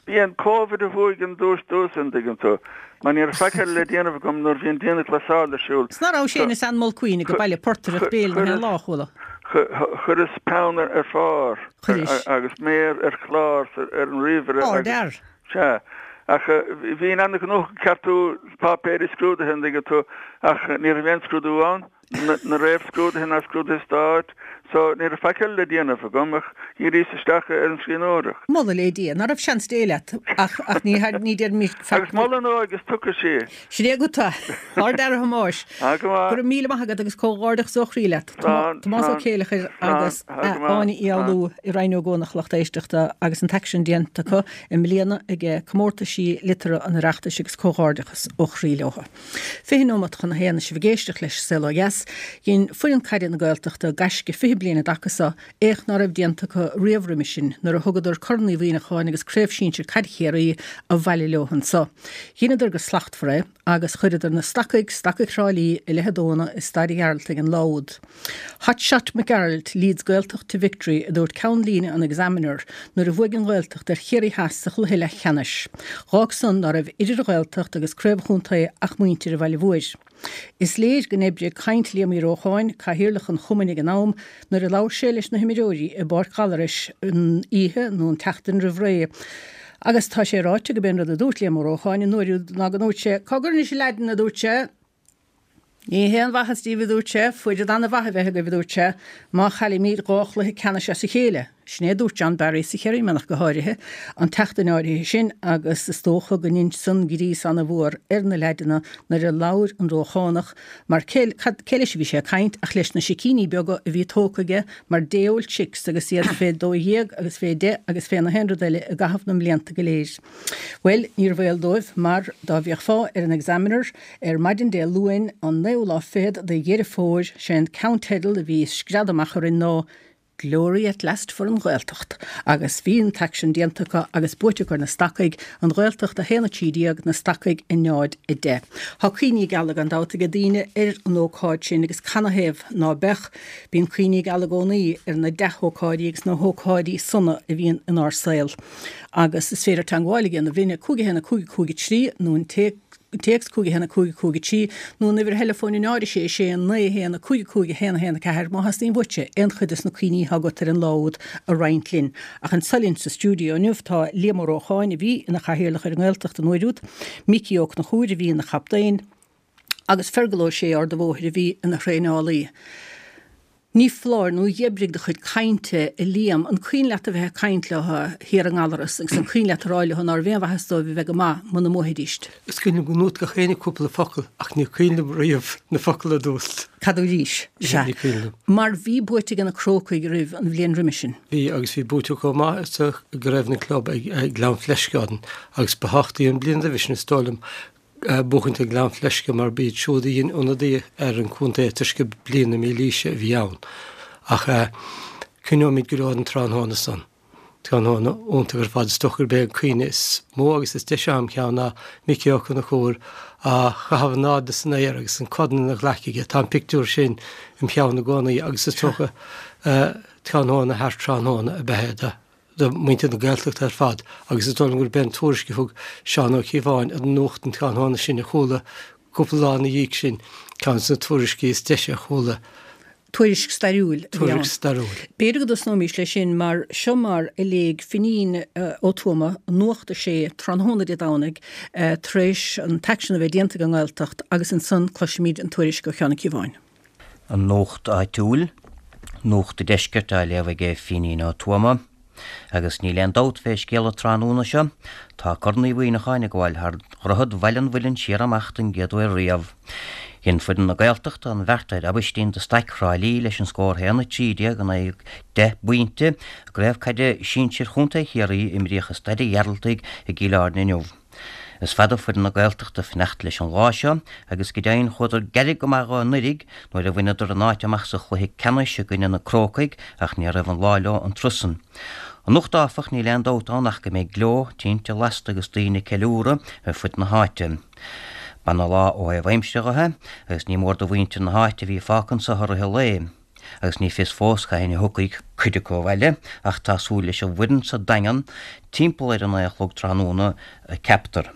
B'í an Covid a bhuaigh an duais domhsa, an dtuigeann tú. Mar ní raibh faic eile le déanamh agam nuair a bhí an dianghlasáil ar siúl. 'S ná raibh sé is Ann Mulqueen ag baile portaireacht béil na haon lá, a chuala. Chuireas peann ar phár agus méar ar chlár ar an ríomhaire agus, sea, ach bhínn an-ghnóthach ag ceartú páipéirí scrúdaithe, an dtuigeann tú, ach ní raibh aon scrúdú ann, na réamhscrúduithe ná scrúduithe stáit, so ní raibh faic eile le déanamh agam ach dhíríos isteach ar an scríbhneoireacht. Moladh le Dia, ná raibh seans Dé leat, ach ach ní ní déarfaimid faic. Agus moladh an óige is tugtha sí. Sin é agat é, ard-fhear a Thomáis. Go Go raibh míle maith agat agus comhghairdeachas ó chroí leat. Tomás Ó Céileachair agus Áine Uí Fhoghlú i Rinn Ó gCuanach, lucht éisteachta agus an t-aicsean déanta acu i mbliana ag Comórtaisí Liteartha an Oireachtais agus comhghairdeachas ó chroí leo. Fiche nóimeat chun a haon, sibh ag éisteacht leis Saol Ó Dheas. Dhein foireann caide na Gaeltachta gaisce fiche bliain i dtaca so, éacht ná raibh déanta acu riamh roimis sin, nuair a thugadar Corn Uí Mhuineacháin agus Craobh Sinsir Caide Chiarraí abhaile leo anso. Dheineadar go slachtmhar é agus chuireadar na Stacaigh, Stacaigh Thrá Lí, i leith a dtóna i Staid an Ghearaltaigh an lá úd. Hot Shot Mac Gearailt leads Gaeltacht to victory, a dúirt ceann líne an Examiner nuair a bhuaigh an Ghaeltacht ar Chiarraí Theas sa chluiche leathcheannais. Dh'fhág san ná raibh idir an Ghaeltacht agus craobh an chontae ach muintir an Bhaile Mhóir. Is léir go n-oibrigh caint Liam Uí Rócháin, cathaoirleach an chumainn ag an am, nuair a labhair sé leis na himreoirí i bPáirc Ghallarais an oíche nó an tseachtain roimh ré. Agus tá sé ráite go b'é an rud a dúirt Liam Ó Rócháin an uair úd ná go ndúirt sé, Cá gcuirfinn anois a leaideanna, a dúirt sé. Ní haon mhaitheas díbh, a dúirt sé, foireann an-mhaith a bheith agaibh, a dúirt sé, má chaillimid dhá chluiche ceannais as a chéile. Sin é a dúirt John Barry sa Chiarraí Mianach go háirithe, an tseachtain áirithe sin agus is dócha go ndein san gríos ana-mhór ar na leaideanna nuair a labhair an Róchánach mar cé, cad, cé leis a bhí sé ag caint ach leis na sicíní beaga a bhí tógtha aige mar day old chicks agus iad fé dó dhéag agus fé deich agus fé na haon rud eile i gcaitheamh na mblianta go léir. Bhuel, níorbh eol dóibh mar dá bhféachfá ar an Examiner ar maidin Dé Luain an naoú lá fichead de Dheireadh Fómhair, sé an ceannteideal a bhí ag scread amach orainn ná Glory at last for an Ghaeltacht. Agus bhí an t-aicsean déanta acu agus buaite acu ar na Stacaigh, an Ghaeltacht a haon a trí déag, na Stacaigh a náid a deich. Tá cuimhní geala gan dabht ag daoine ar an ócáid sin agus canathaobh ná beadh? Bíonn cuimhní geala i gcónaí ar na dea-hócáidí agus na hócáidí sona a bhíonn inár saol. Agus is féidir teagmháil a dhéanamh linn ag cúig a haon a cúig a cúig a trí nó an téacs cúig a haon a cúig a cúig a trí nó an uimhir theileafóin a náid a sé a sé naoi a haon a cúig a cúig a haon a haon a ceathair má theastaíonn uaitse aon chuid de na cuimhní atá agat ar an lá úd a roinnt linn. Ach anso linn sa stiúideo inniu tá Liam Ó Rócháin a bhí ina chathaoirleach ar an nGaeltacht an uair úd, Micí Ó Conchúir a bhí ina chaptaen agus Fergal Ó Sé Ard an Bhóthair a bhí ina thraenálaí. Ní foláir nó dh'oibrigh do chuid cainte, a Liam. An cuimhin leat a bheith ag caint leo thiar i nGallaras agus an cuimhin leat a rá leo nárbh aon mhaitheas dóibh a bheith go maith muna mbuafaidíst? Is cuimhin liom go ndúirt gach éinne cúpla focal ach ní cuimhin liom riamh na focail a dúirt. Cad dúraís? Sea. Ní cuimhin liom. Mar bhí buaite ag na Crócaigh roimh an bhliain roimhe sin. Bhí agus bhí buaite acu chomh maith sa gCraobh na gClub ag Gleann Fleisce agus ba thábhachtaí an bhliain roimhe sin is dóigh liom buachaint ag Gleann Fleisce mar b'iad siúd a dhein ionadaí ar an chontae toisc gur bliain na mílaoise a bhí ann. Ach cuimhneoimid go leor an tráthnóna san. Tráthnóna iontach ar fad. Is dócha gurb é an cuimhne is mó agus is deise a'm cheann ná Micí Ó Conchúir á chaitheamh in airde san aer agus an corn ina ghlaic aige. Tá an pictiúr sin im cheann i gcónaí agus is dócha tráthnóna thar tráthnóna ab ea é do do mhuintir na Gaeltachta ar fad agus is dóigh liom gurb é an tuairisc a thug Seán Ó Cíobháin ar an nuacht an tráthnóna sin a chuala cúpla lá ina dhiaidh sin, ceann de na tuairiscí is deise a chuala. Tuairisc stairiúil a bhí ann. Tuairisc stairiúil. B'fhéidir go dtosnóimís leis sin mar seo mar a léigh Finín Ó Tuama Nuacht a Sé tráthnóna Dé Domhnaigh tar éis an t-aicsean a bheith déanta ag an nGaeltacht agus ansan cloisfimid an tuairisc ó Sheán Ó Cíobháin. An Nuacht Áitiúil, Nuacht an Deiscirt á léamh aige Finín Ó Tuama. Agus níl aon dabht fé scéal an tráthnóna seo, tá Corn Uí Mhuineacháin ag gabháil thar dhroichead Bhaile an Mhuilinn siar amach don gcéad uair riamh. Dhein foireann na Gaeltachta an bheart ar Aibhistín de Staic Thrá Lí leis an scór haon a trí déag in aghaidh deich bpointe i gCraobh Caide Sinsir Chontae Chiarraí a imríodh i Staid an Ghearaltaigh i gCill Airne inniu. Is fada foireann na Gaeltachta ag fanacht leis an lá seo agus go deimhin chuadar gairid go maith dho anuiridh nuair a bhaineadar a n-áit amach sa chluiche ceannais i gcoinne na Crócaigh ach ní raibh an lá leo an turas san. Anocht áfach níl aon dabht ann ach go mbeidh gleo, tinte lasta agus daoine ag ceiliúradh ar fud na háite. B'ana lá ó thaobh aimsire dho é agus ní mór do mhuintir na háite a bhí fágtha anso i rith an lae. Agus ní fios fós cathain a thiocfaidh cuid acu abhaile, ach tá súil leis an bhfoireann sa Daingean timpeall ar a naoi a chlog tráthnóna, ceaptar.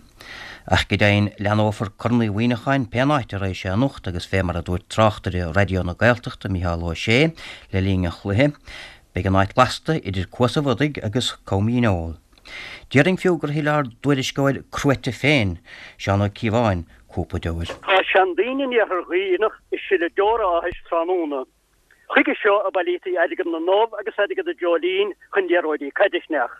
Ach go deimhin, leathnófar Corn Uí Mhuineacháin pén áit a raghaidh sé anocht agus fé mar a dúirt tráchtaire Raidió na Gaeltachta, Micheál Ó Sé, le linn an chluiche, beidh an áit lasta idir Cuas an Bhodaigh agus Com Dhíneol. Déarfainn fiú gur shil ár dtuairisceoir cruaite féin, Seán Ó Cíobháin, cúpla deoir. Tá seandaoine in iarthar Dhuibhneach ag sileadh deora áthais tráthnóna. Chuige seo a bailítí airgead na n-ubh agus airgead an dreoilín chun liathróidí caide a cheannach.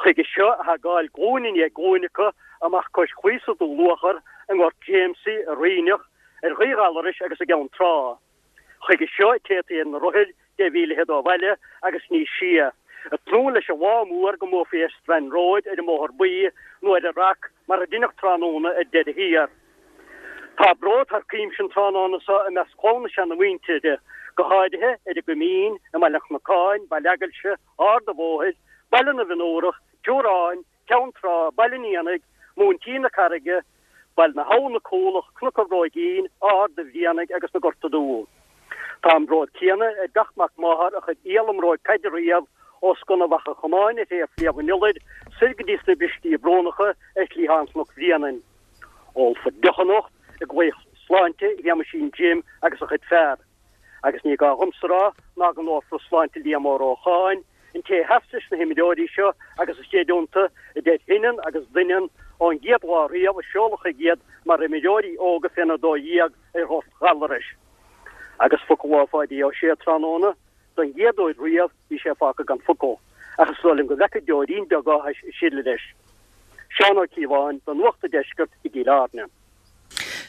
Chuige seo a thagáil glúin i ndiaidh glúine acu amach cois claí sa Dún Luachair, i nGort Jamesie, i Ríneach, ar Ghaoth Ghallarais agus i gCeann Trá. Chuige seo a téataí ar na rothair deich mhíle fhichead ó bhaile agus níos sia, ag tnúth leis an lá mór go mbuafaí ar Strand Road ar an mBóthar Buí nó ar an Rock mar a deineadh tráthnóna ar deireadh thiar. Tá bród thar cuimse an tráthnóna so i measc clann na seanamhuintire, go háirithe ar an gCoimín, i mBaile an Chnocáin, Baile Eagailse, Ard an Bhóthair, Baile na bhFionnúrach, Teorainn, Ceann Trá, Baile an Éanaigh, Móintín na Carraige, Baile na hAbhann, Cúlach, Cnoc an Bhróigín, Ard an Bhrianaigh agus na Gorta Dubha. Tá an bród céanna ar gach mac máthar a chuir iall i mbróig caide riamh os cionn Mhachaire Chomáin ar thaobh Shliabh an Iolair soir go dtí sna Bristí Brónacha ar chliathán Chnoc Bhréanainn. Ólfar deoch anocht i gclaíoch sláinte Shéamaisín Jim agus a chuid fear. Agus ní gá dhomsa a rá ná go n-ólfar sláinte Liam Ó Rócháin, an té a sheas leis na himreoirí seo agus a scéid iontu, a deir Hinin agus Doineann, ón gcéad lá riamh a seoladh chuige iad mar imreoirí óga féna dó dhéag ar Ghort Ghallarais. Agus focal ó Pháidí Ó Sé tráthnóna, don gcéad uair riamh bhí sé fágtha gan focal, ach is dóigh liom go bhfeicfear deoirín beag áthais ag sileadh leis. Seán Ó Cíobháin do Nuacht an Deiscirt i gCill Airne.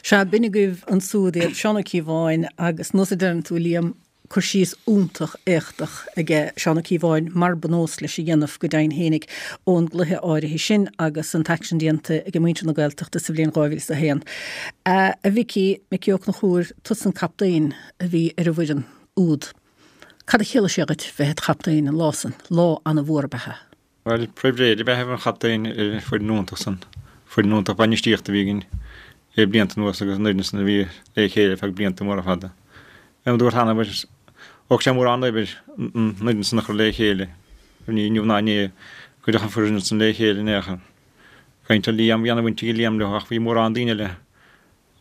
Sea, b'in agaibh ansúd iad, Seán Ó Cíobháin agus nós a deireann tú, Liam, cur síos iontach éachtach aige Seán Ó Cíobháin, mar ba nós leis a dhéanamh go deimhin fhéinig, ón gcluiche áirithe sin agus an t-aicsean déanta ag muintir na Gaeltachta sa bhliain dhá mhíle is a haon. A Mhicí, Micí Ó Conchúir, tusa an captaen a bhí ar an bhfoireann úd. Cad a chiallaigh sé dhuit bheith id chaptaen an lá san? Lá ana-mhór ab ea é. Bhuel, pribhléid ab ea a bheith mar chaptaen ar an bhfoireann iontach san. Foireann iontach bainistíochta a bhí againn le blianta anuas agus an fhoireann san a bhí le chéile ar feadh blianta móra fada. Mar a dúrt cheana, thóg sé mórán oibre an fhoireann san a chur le chéile. Ní inniu ná inné a cuireadh an foireann san le chéile in aon chor. Caint ar Liam, bhí ana-bhaint ag Liam leo ach bhí mórán daoine eile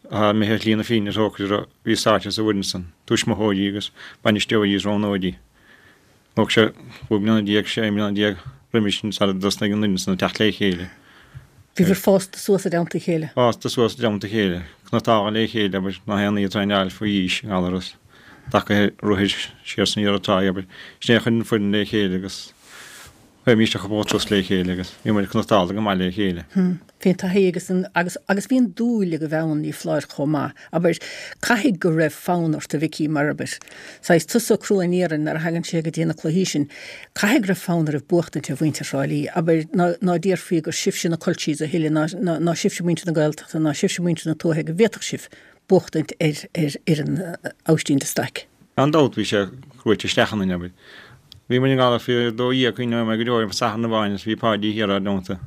atá imithe ar shlí na fírinne is dócha a bhí sáite sa bhfoireann san, tuismitheoirí agus bainisteoirí is roghnóirí. Thóg sé cúig bliana déag, sé bliana déag roimis sin sara dtosnaigh an fhoireann san ag teacht le chéile. Bhíobhair fásta suas i dteannta a chéile. Fásta suas i dteannta a chéile. Cniotála le chéile, abair, nach aon ní ag traenáil faoi aois i nGallaras, tacaithe rothair siar san iarraidh tráigh, abair. Sin é a chuir an foireann le chéile agus théimís a chúpla turas le chéile agus bhí muid cniotála go maith le chéile. Bhí an taithí agus an, agus, agus bhí an dúil agaibh ann, ní foláir, chomh maith. Abair, caithfidh go raibh fonn ort, a Mhicí, mar, abair, saghas tusa crua an iarainn nuair a thagann sé go dtí na cluichí sin, caithfidh go raibh fonn oraibh buachtaint ar mhuintir Thrá Lí, abair, ná, ná déarfaí gur sibhse na culchies a thuilleadh, ná, ná, ná sibhse muintir na Gaeltachta, ná sibhse muintir na tuaithe, go bhféadfadh sibh buachtaint ar, ar fhoireann Aibhistín de Staic. Gan dabht bhí sé cruaite isteach ionainn, abair. Bhí muid i nGallaras faoi a dó dhéag cuimhneoidh mé go deo ar Satharn amháin is bhí Páidí thiar ár dteannta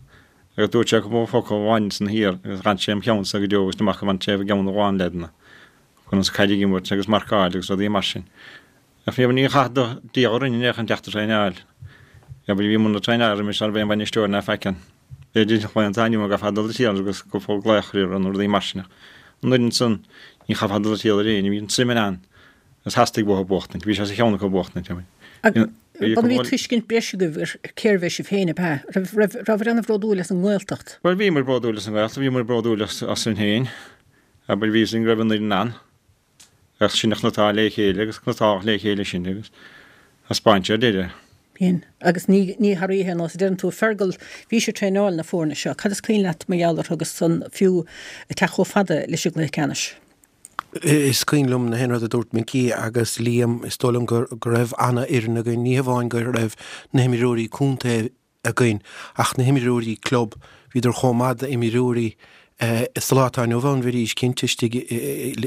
agus dúirt sé cúpla focal amháin san thiar agus d'fhan sé im cheannsa go deo agus amach go bhfan sé i gceann a lán leaideanna conas caid a imirt agus marcáil agus rudaí mar sin. Ach bhí ní chaith do Dia orainn in aon chor an teacht traenáil. Abair bhí muid ag traenáil roimis nárbh aon bhainisteoir ná faic ann. B'fhéidir an atá inniu go gcaithfeá dul siar agus cúpla glaoch ar nó rudaí mar sin ach an oiread san ní chaithfeá dul siar ar éinne, bhí an tsuim ann. Agus theastaigh uathu buachtaint. Bhí sé sa cheann acu buachtaint. Bhuel bhí tuiscint breise agaibh ar cérbh é sibh féin, ab ea? Raibh, raibh, rabhaibh an-bhródúil as an nGaeltacht? Bhuel, bhíomar bródúil as an nGaeltacht, bhíomar bródúil as, asainn féin. Abair, bhí a fhios againn go raibh an fhoireann ann. Ach sin a chniotáil le chéile agus cniotáladh le chéile sinn agus thaispeáin sé ar deireadh. B'in. Agus ní, ní thar oíche, nós a deireann tú, Fergal, bhís ag traenáil na foirne seo. Cad is cuimhin leat mar gheall orthu agus san fiú ag teacht chomh fada leis an gcluiche ceannais? Is cuimhin liom na haon rud a dúirt Micí agus Liam, is dóigh liom go raibh ana-fhoireann againn, ní hamháin go raibh na himreoirí contae againn ach na himreoirí club, bhíodar chomh maith d'imreoirí sa lá atá inniu ann, bheidís cinnte istigh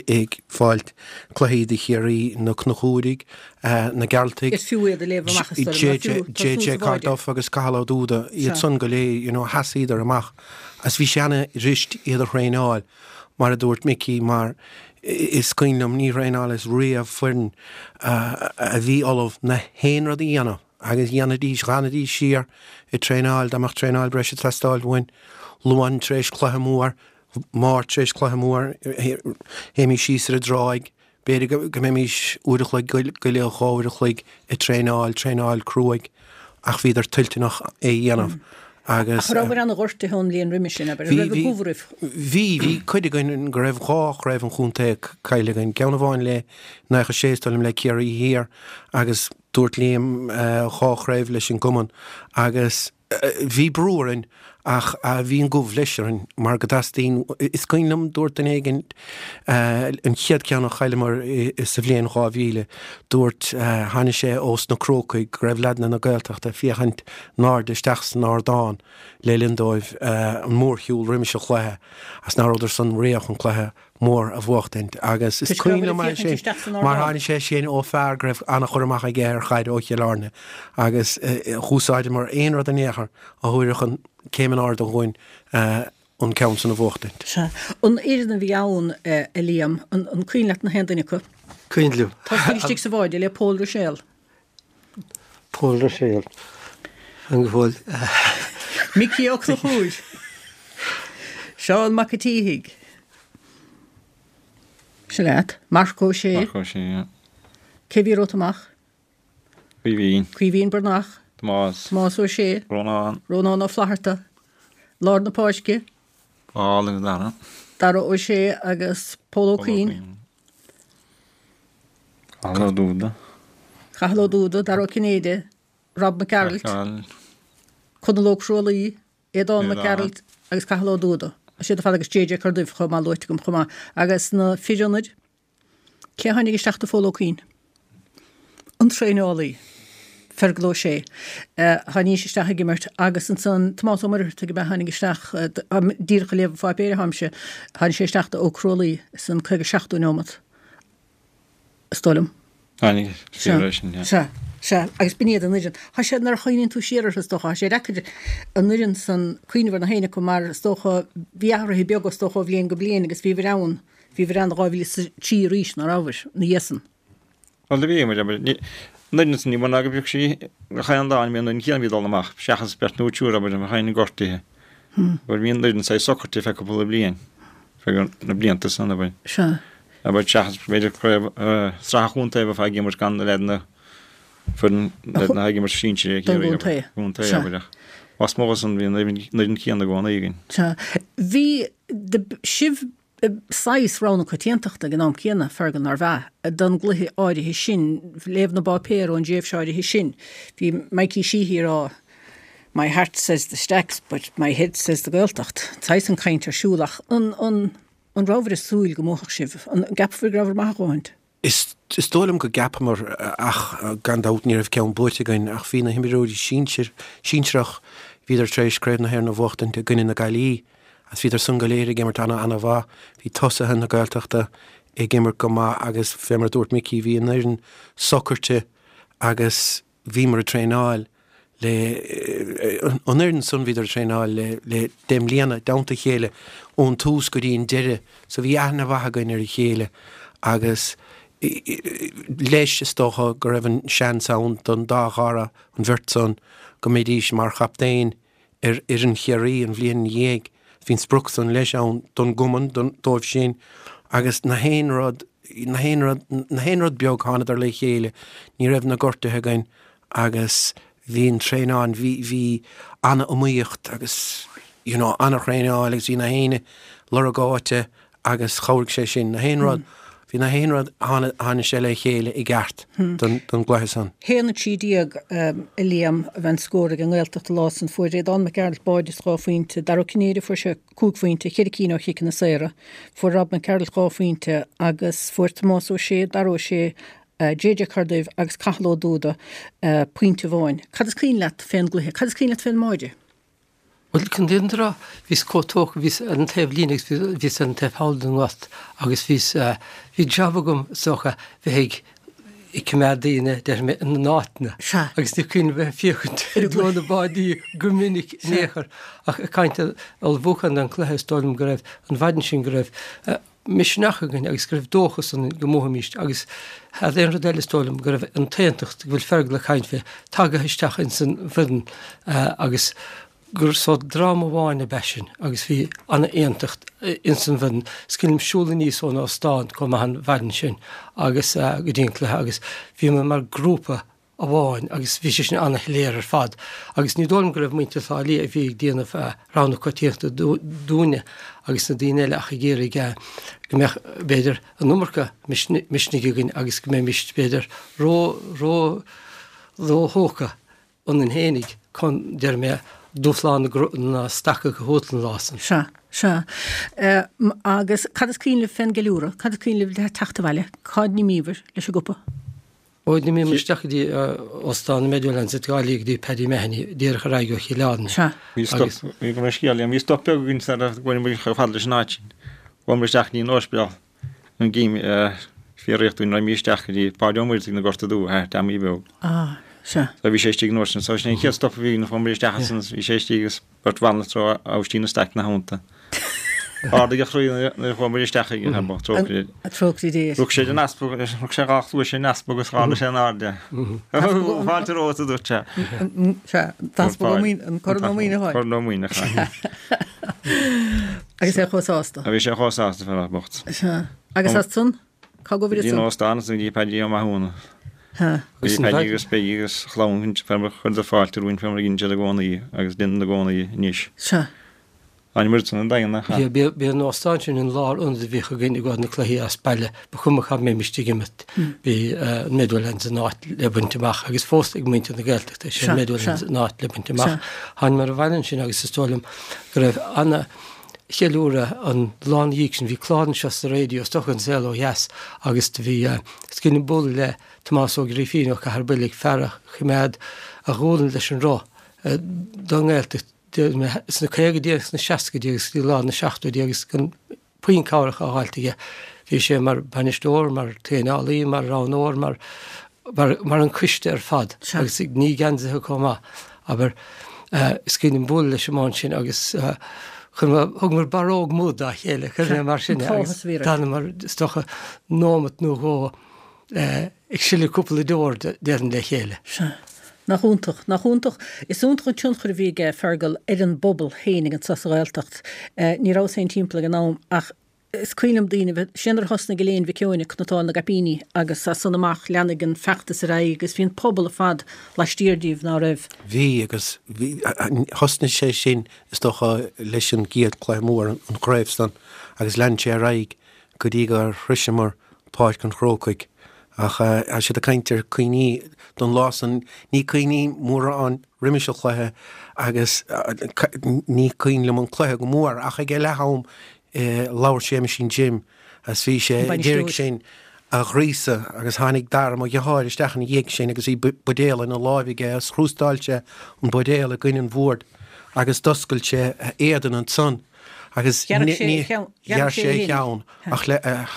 ag fáilt cluichí do Chiarraí, na Conchúraigh, na Gearaltaigh, Is fiú iad a léamh amach is dóigh liom, JJ Carduff agus Cathal Ó Dúda, iad san go léir, you know, sheasaíodar amach agus bhí sé ana-fhuirist iad a thraenáil. Mar a dúirt Micí, mar is cuimhin liom, ní thraenálas riamh foireann a bhí ullamh na haon rud a dhéanamh agus dhéanfaidís, dh'fhanaidís siar ag traenáil, dá mbeadh traenáil breise ag teastáil uainn, Luan tar éis cluiche mór, Máirt tar éis cluiche mór, théimís síos ar an dtráigh, B'fhéidir go mbeimis uair a chloig go leith, dhá uair a chloig ag traenáil, traenáil cruaidh, ach bhíodar toilteanach é a dhéanamh agus. Ach rabhaibh ana-ghortaithe ón mbliain roimhe sin, abair, an raibh an gubh oraibh? Bhí, bhí cuid againn go raibh dhá chraobh an chontae caillte againn, ceann amháin le naocha sé is dóigh liom le Ciarraí Thiar agus dúirt Liam dhá chraobh leis an gcumann agus Bhí brú orainn ach bhí an gubh leis orainn mar go dteastaíonn, is cuimhin liom, dúirt duine éigin, an chéad ceann a chailleamar sa bhliain dhá mhíle, dúirt, tháinig sé ós na Crócaigh go raibh leaideanna na Gaeltachta ag féachaint in airde isteach san ardán le linn dóibh an mórshiúl roimis an chluiche agus nach rabhadar san réidh chun cluiche mór a bhuachtaint agus is cuimhin liom é sin mar tháinig sé sin ó fear go raibh an-chur amach aige ar chaid ó Chill Airne agus dh'úsáideamar aon rud in aon chor a thabharfadh an céim in airde dhúinn an ceann san a bhuachtaint. Sea. An fhoireann a bhí ann, a Liam, an cuimhin leat na haon duine acu? Cuimhin liom. Tá istigh sa bháide le Pól Ruiséal. Pól Ruiséal. An go bhfuil. Micí Ó Conchúir. Seán Mac a' tSíthigh. Sin leat. Marc Ó Sé. Marc Ó Sé, yeah. Cé bhí romhat amach? Caoimhín. Caoimhín Breathnach. Tomás. Tomás Ó Sé. Rónán. Rónán Ó Flatharta. Lár na Páirce. Paul agus Dara. Dara Ó Sé agus Pól Ó Cuinn. Cathal Ó Dúda. Cathal Ó Dúda, Dara Ó Cinnéide, Rob Mac Gearailt, Conall Ó Crualaoi, Aodán Mac Gearailt agus Cathal Ó Dúda. Siad ar fad agus JJ Corduibh chomh maith luaite agam chomh maith. Agus na fir ionaid, cé a tháinig isteach do Phól Ó Cuinn? An traenálaí, Fergal Ó Sé. Tháinig isteach ag imirt agus ansan Tomás Ó Muircheartaigh ab ea tháinig isteach, díreach ag léamh an pháipéir atáimse, tháinig sé isteach do Ó Crualaoi san caoga seachtú neomat. Is dóigh liom. Tháinig sé leis sin, yeah. Sea, sea, agus b'in iad an fhoireann. Tá sé, nuair a chuimhníonn tú siar orthu, is dócha, tá sé deacair an fhoireann san cuimhneamh ar na héinne acu mar, is dócha, bhí athruithe beaga, is dócha, ó bhliain go bliain agus bhíobhair ann, bhíobhair ann dhá mhíle is a trí arís, ná rabhabhair, ina dhiaidh san. Bhuel, do bhí muid, abair, ní, an fhoireann san ní mó ná go bhfeadh sí gach aon lá, ní bhíonn an fhoireann chéanna a bhí ag dul amach, seachas beirt nó triúr, abair, a tháinig gortaithe. Abair, bhí an fhoireann saghas socraithe feadh cúpla bliain, feadh na blianta san, abair. Sea. Abair, seachas b'fhéidir craobh sraith an chontae a bheifeá ag imirt gan na leaideanna foireann leaideanna ag imirt sinsir ag Don gcontae. Contae, abair, ach lasmuigh de san bhí an fhoireann chéanna i gcónaí againn. Sea. Bhí sibh saghas rogha na coitiantachta ag an am céanna, Fergal, nárbh ea, don gcluiche áirithe sin, léamh na bpáipéar ón dtréimhse áirithe sin. Bhí Mikey Sheehy ag rá My heart says the Stacks but my head says the Gaeltacht. Saghas an chaint ar siúl ach an, an, An rabhabhair ag súil go mbuafadh sibh? An gceapabhair go rabhabhair maith a dhóthaint? Is dóigh liom go gceapamar ach gan dabht ní raibh ceann buaite againn ach bhí na himreoirí sinsir, sinsearach, bhíodar tar éis Craobh na hÉireann a bhuachtaint i gcoinne na Gaillimhe agus bhíodar san go léir ag imirt ana ana mhaith. Bhí tosaithe na Gaeltachta ag imirt go maith agus fé mar a dúirt Micí bhí an fhoireann socraite agus bhíomar ag traenáil le an fhoireann san bhíodar ag traenáil le le deich mbliana i dteannta a chéile ón tús go dtí an deireadh so bhí aithne mhaith againn ar a chéile agus leis is dócha go raibh an seans ann don dá Dhara an bheirt san go mbeidís mar chaptaein ar fhoireann Chiarraí an bhliain ina dhiaidh. Bhí an sprioc san leis ann don gcumann, don, dóibh sin agus na haon rud, na haon rud, na haon rud beag thánadar le chéile, ní raibh na gortuithe againn agus bhí an traenáil, bhí, bhí an-iomaíocht agus you know an-thraenáil agus bhí na héinne lorg áite agus chabhraigh sé sin. Na haon rud, bhí na haon rud, tháinig sé le chéile i gceart don, don gcluiche san. haon a trí déag a Liam a bhí an scór ag an nGaeltacht an lá san. Fuair Aodán Mac Gearailt báide is dhá phointe, Dara Ó Cinnéide fuair sé cúig phointe, ceithre cinn ó chiceanna saora, fuair Rob Mac Gearailt dhá phointe agus fuair Tomás Ó Sé, Dara Ó Sé, JJ Corduibh agus Cathal Ó Dúda pointe amháin. Cad is cuimhin leat fén gcluiche? Cad is cuimhin leat fén mbáide? Bhuel, chun an fhírinne a rá, bhíos chomh tógtha, bhíos ar an taobh líne agus bhíos ar an taobh thall den ngort agus bhíos, bhí jab agam is dócha bheith ag ag coimeád daoine, déarfaidh mé, ina n-áiteanna. Sea. Agus ní cuimhin liom bheith ag féachaint i dtreo na báidí go minic in aon chor. Ach ag caint ar ullmhúchán don chluiche, is dóigh liom go raibh, an mhaidin sin go raibh, misneach againn agus go raibh dóchas ionainn go mbuafaimíst agus thar aon rud eile is dóigh liom go raibh an t-aontacht go bhfuil Fergal ag caint fé tagaithe isteach ins an bhfoireann agus gur sórt dream amháin ab ea sinn agus bhí ana-aontacht ins an bhfoireann. Is cuimhin liom siúl aníos ón óstán chomh maith an mhaidin sin agus go dtí an cluiche agus bhíomar mar grúpa amháin agus bhí sé sin ana-shoiléir ar fad agus ní dóigh liom go raibh muintir Thrá Lí a bhí ag déanamh rogha na coitiantachta dúinne agus na daoine eile ach ag iarraidh go mbeadh b'fhéidir an iomarca misnigh againn agus go mbeimis b'fhéidir ró ró ró-thógtha ionainn fhéinig chun déarfaidh mé dúshlán na Stacach a thabhairt an lá san. Sea, sea. Agus cad is cuimhin libh fén gceiliúradh? Cad is cuimhin libh le teacht abhaile? Cá n-imíobhair leis an gcupa? Ó, d'imíomar isteach go dtí Óstán na Meadowlands i dTrá Lí go dtí Paddy Mahony, díreach ar aghaidh ó Chill Airne. Sea. Bhí stop, bhí go raibh scéal, bhí stop beag againn sara bhfuair muid chomh fada leis an áit sin. Chuamar isteach go dtí an ospidéal an gcím fíoraíocht dúinn raghaimís isteach go dtí Páidí Ó Muirthigh na Gorta Dubha thart Teamaí Beag. Ah, sea. So bhí sé istigh an uair sin. So sin an chéad stop a bhí againn, chuamar isteach ansan is bhí sé istigh agus beirt bhanaltra Aibhistín de Staic ina theannta. Ardaigh a chroí nuair a chuamar isteach chuige, tá bocht, trócaire. Trócaire Dé. Rug sé den easpag, rug sé dhá chluais ar an easpag agus dh'ardaigh sé in airde. Fáilte romhat, a dúirt sé. Sea, an t-easpag Ó Muíneacháin, an Corn Ó Muíneacháin. Corn Ó Muíneacháin. Agus é chomh sásta. Bhí sé chomh sásta, fear bocht. Sea. Agus as san? Cá gcuimhnigh Bhí an óstán ansan go dtí Paddy Ó Mathúna. Bhí Paddy agus Peggy agus a chlann chuireadar fáilte romhainn fé mar a dheineann siad i gcónaí agus déanann i gcónaí anois. Sea. Thánamar san an Daingean nach ea? B'é an óstán sin an lárionad a bhíodh againn i gcomhair na cluichí as baile. Ba chuma cá mbeimis ag imirt, bhí an Meadowlands an áit le baint amach agus fós ag muintir na Gaeltachta is é an Meadowlands an áit le baint amach. Thánamar abhaile ansin agus is dóigh liom go raibh ana cheiliúradh an lá ina dhiaidh sin. Bhí clár anseo sa raidió is dócha An Saol Ó Dheas agus do bhí is cuimhin liom bualadh le Tomás Ó Grífín ó Chathair Builg, fear a choimeád a ghualainn leis an roth don nGaeltacht. sna caogaidí agus sna seascaidí agus go dtí lár na seachtóidí agus gan puinn cabhrach á fháilt aige. Bhí sé mar bhainisteoir, mar traenálaí, mar roghnóir, mar mar an coiste ar fad agus ag ní geansaithe chomh maith. Abair, is cuimhin liom bualadh leis an mbán sin agus thugamar barróg muid dá chéile, chuir mé mar sin é agus d'fhanamar is dócha nóimeat nó dhó ag sileadh cúpla deor déarfainn le chéile. Sea. Nach iontach, nach iontach. Is iontach an tionchar a bhí aige Fergal ar an bpobal féinig anso sa Ghaeltacht. Ní rabhas féin timpeall ag an am ach is cuimhin liom daoine bheith, sin nuair a thosnaigh Elaine Mhic Eoin ag cniotáil na gcaipíní agus as san amach leathnaigh an feachtas ar aghaidh agus bhí an pobal ar fad laistiar díobh, ná raibh? Bhí agus bhí, thosnaigh sé sin is dócha leis an gcéad chluiche mór, an chraobh san, agus lean sé ar aghaidh go dtí gur shroiseamar Páirc an Chrócaigh. Ach tá siad ag caint ar cuimhní don lá san, ní cuimhním mórán roimis an chluiche agus ní cuimhin liom an cluiche go mór ach ag leath am labhair Séamaisín Jim agus bhí sé ag iarraidh sinn a ghríosadh agus tháinig Dara mo dheartháir isteach ina dhiaidh sin agus bhí buidéal ina láimh aige agus chrústáil sé an buidéal i gcoinne an bhoird agus d'oscail sé a éadan ansan agus ghearr sé a cheann ach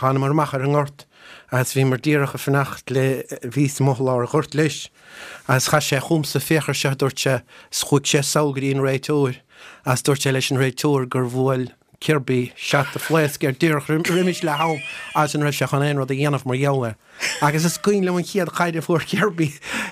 thánamar amach ar an ngort agus bhíomar díreach ag fanacht le bhíos amuigh i lár an ghoirt leis agus chas sé chugamsa féach ar seo a dúirt sé is chuaigh sé sall go dtí an réiteoir agus dúirt sé leis an réiteoir gur bhuail Kirby seat de phléasc air díreach roimis leath am agus an raibh sé chun aon rud a dhéanamh mar gheall air. Agus is cuimhin liom an chéad chaid a fuair Kirby,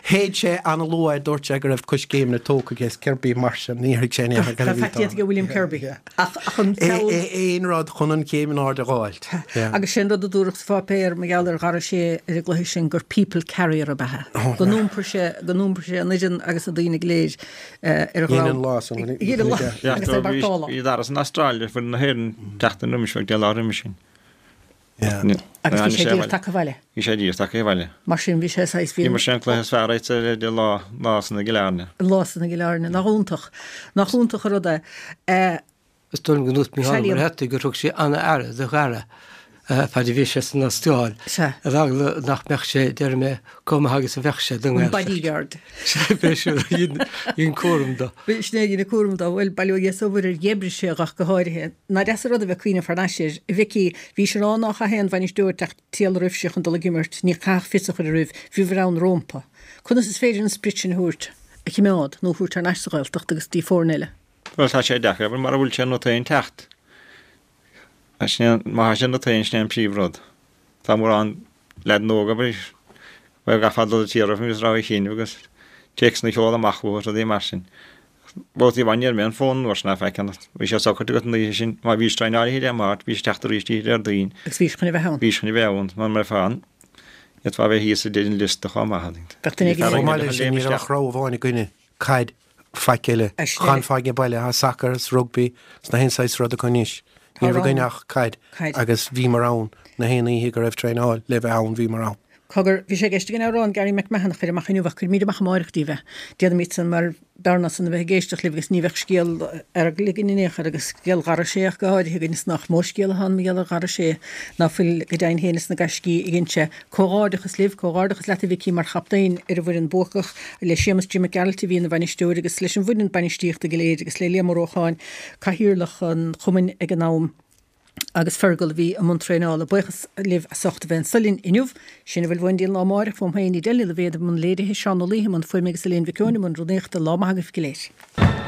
shéid sé an-luath, dúirt sé go raibh coiscéimeanna tógtha aige is Kirby mar sin, níor thuig sé in aon chor cad a Tá bhí faic déanta aige William Kirby ach ach an feall. Aon rud chun an chéim in airde a dh'fháilt. Agus sé an rud a dúradh sa pháipéar mar gheall ar Dhara Ó Sé ar an gcluiche sin gur people carrier ab ea é. Go n-iompair sé, go n-iompair sé an fhoireann agus na daoine go léir ar a Dhein dhrom. an lá san. Dhein an lá agus é marcála. Bhí Dara san Astráil foireann na hÉireann tseachtain roimis, bheadh deich lá roimis sin. Agus bhí sé díreach tagtha abhaile. Bhí sé díreach tagtha abhaile. Mar sin bhí sé saghas, bhí. D'imir sé an cluiche is fearr aige de lá, lá san i gCill Airne. An lá san i gCill Airne. Nach iontach, nach iontach an rud é. Is dóigh liom go ndúirt Mícheál Ó Muircheartaigh gur thug sé an-aire do Dhara fad a bhí sé san Astráil, ar eagla nach mbeadh sé, déarfaidh mé, chomh maith agus a bheadh sé don An nGaeltacht. bodyguard. Sea, b'é sin a dhein cúram dó. B'shin é a dhein cúram dó. Bhuel, bail ó Dhia is ó Mhuire air, dh'oibrigh sé ach go háirithe. Nach deas an rud a bheith ag cuimhneamh thar n-ais air. A Mhicí, bhís ag rá ná chaithfeadh aon bhainisteoir teacht triall roimhse chun dul ag imirt, ní chaithfeadh fios a chur roimh, bhíobhair ann rómpa. Conas is féidir an sprid sin a thabhairt, a chimeád, nó a thabhairt thar n-ais sa Ghaeltacht agus dtí foirne eile? Bhuel, tá sé deacair, abair, mara bhfuil sé ionat féin teacht. Má tá sé ionat féin, sin é an príomhrud. Tá mórán leaideanna óga, abair, bhuel, gcaithfeá dul ag iarraidh agus rogha a chinneadh agus téacsanna a sheoladh amach uathu is rudaí mar sin. Babhtaí amháin ní raibh aon fón an uair sin ná faic ann. Bhí sé socraithe agat an oíche sin, má bhís traenáil oíche Dé Máirt, bhís ag teacht arís oíche Déardaoin. Agus bhís chun a bheith ann. Bhís chun a bheith ann, mura mbeifeá ann, d'fhéadfá a bheith thíos i deireadh an liosta chomh maith. Bheadh duine éigin Chomh maith leis sin, ní raibh ach rogha amháin againne, caid. Faic eile. Chan faic ag baile, tá sacar is rugbaí is na haon saghas rud acu anois. Ní raibh againn ach caid agus bhíomar ann na haon oíche go raibh traenáil le bheith ann, bhíomar ann. Cogar, bhí sé i gceist againn amhrán Gary McMahon a chur amach inniu ach cuirfimid amach amáireach daoibh é. Déanfaimid san mar b'fhearr ná san a bheith ag éisteacht libh agus ní bheadh scéal Fheargail againn in aon chor agus scéal Dhara Ó Sé ach go háirithe againn is nach mó scéal atá ann mar gheall ar Dhara Ó Sé ná fuil go deimhin féin is na gaiscí a dhein sé. Comhghairdeachas libh, comhghairdeachas leat a Mhicí mar chaptaen ar an bhfoireann buacach, le Séamus Jim Mac Gearailt a bhí ina bhainisteoir agus leis an bhfoireann bainistíochta go léir agus le Liam Ó Rócháin, cathaoirleach an chumainn ag an am. agus Fergal a bhí i mbun traenála. Buíochas libh as ucht a bheith anso linn inniu. Sin a bhfuil uainn go dtí an lá amárach, uaim féin, Edel Ní Loibhéad i mbun léirithe, Seán Ó Laoithe i mbun fuaime agus Elaine Mhic Eoin i mbun rúnaíochta. Lá maith agaibh go léir.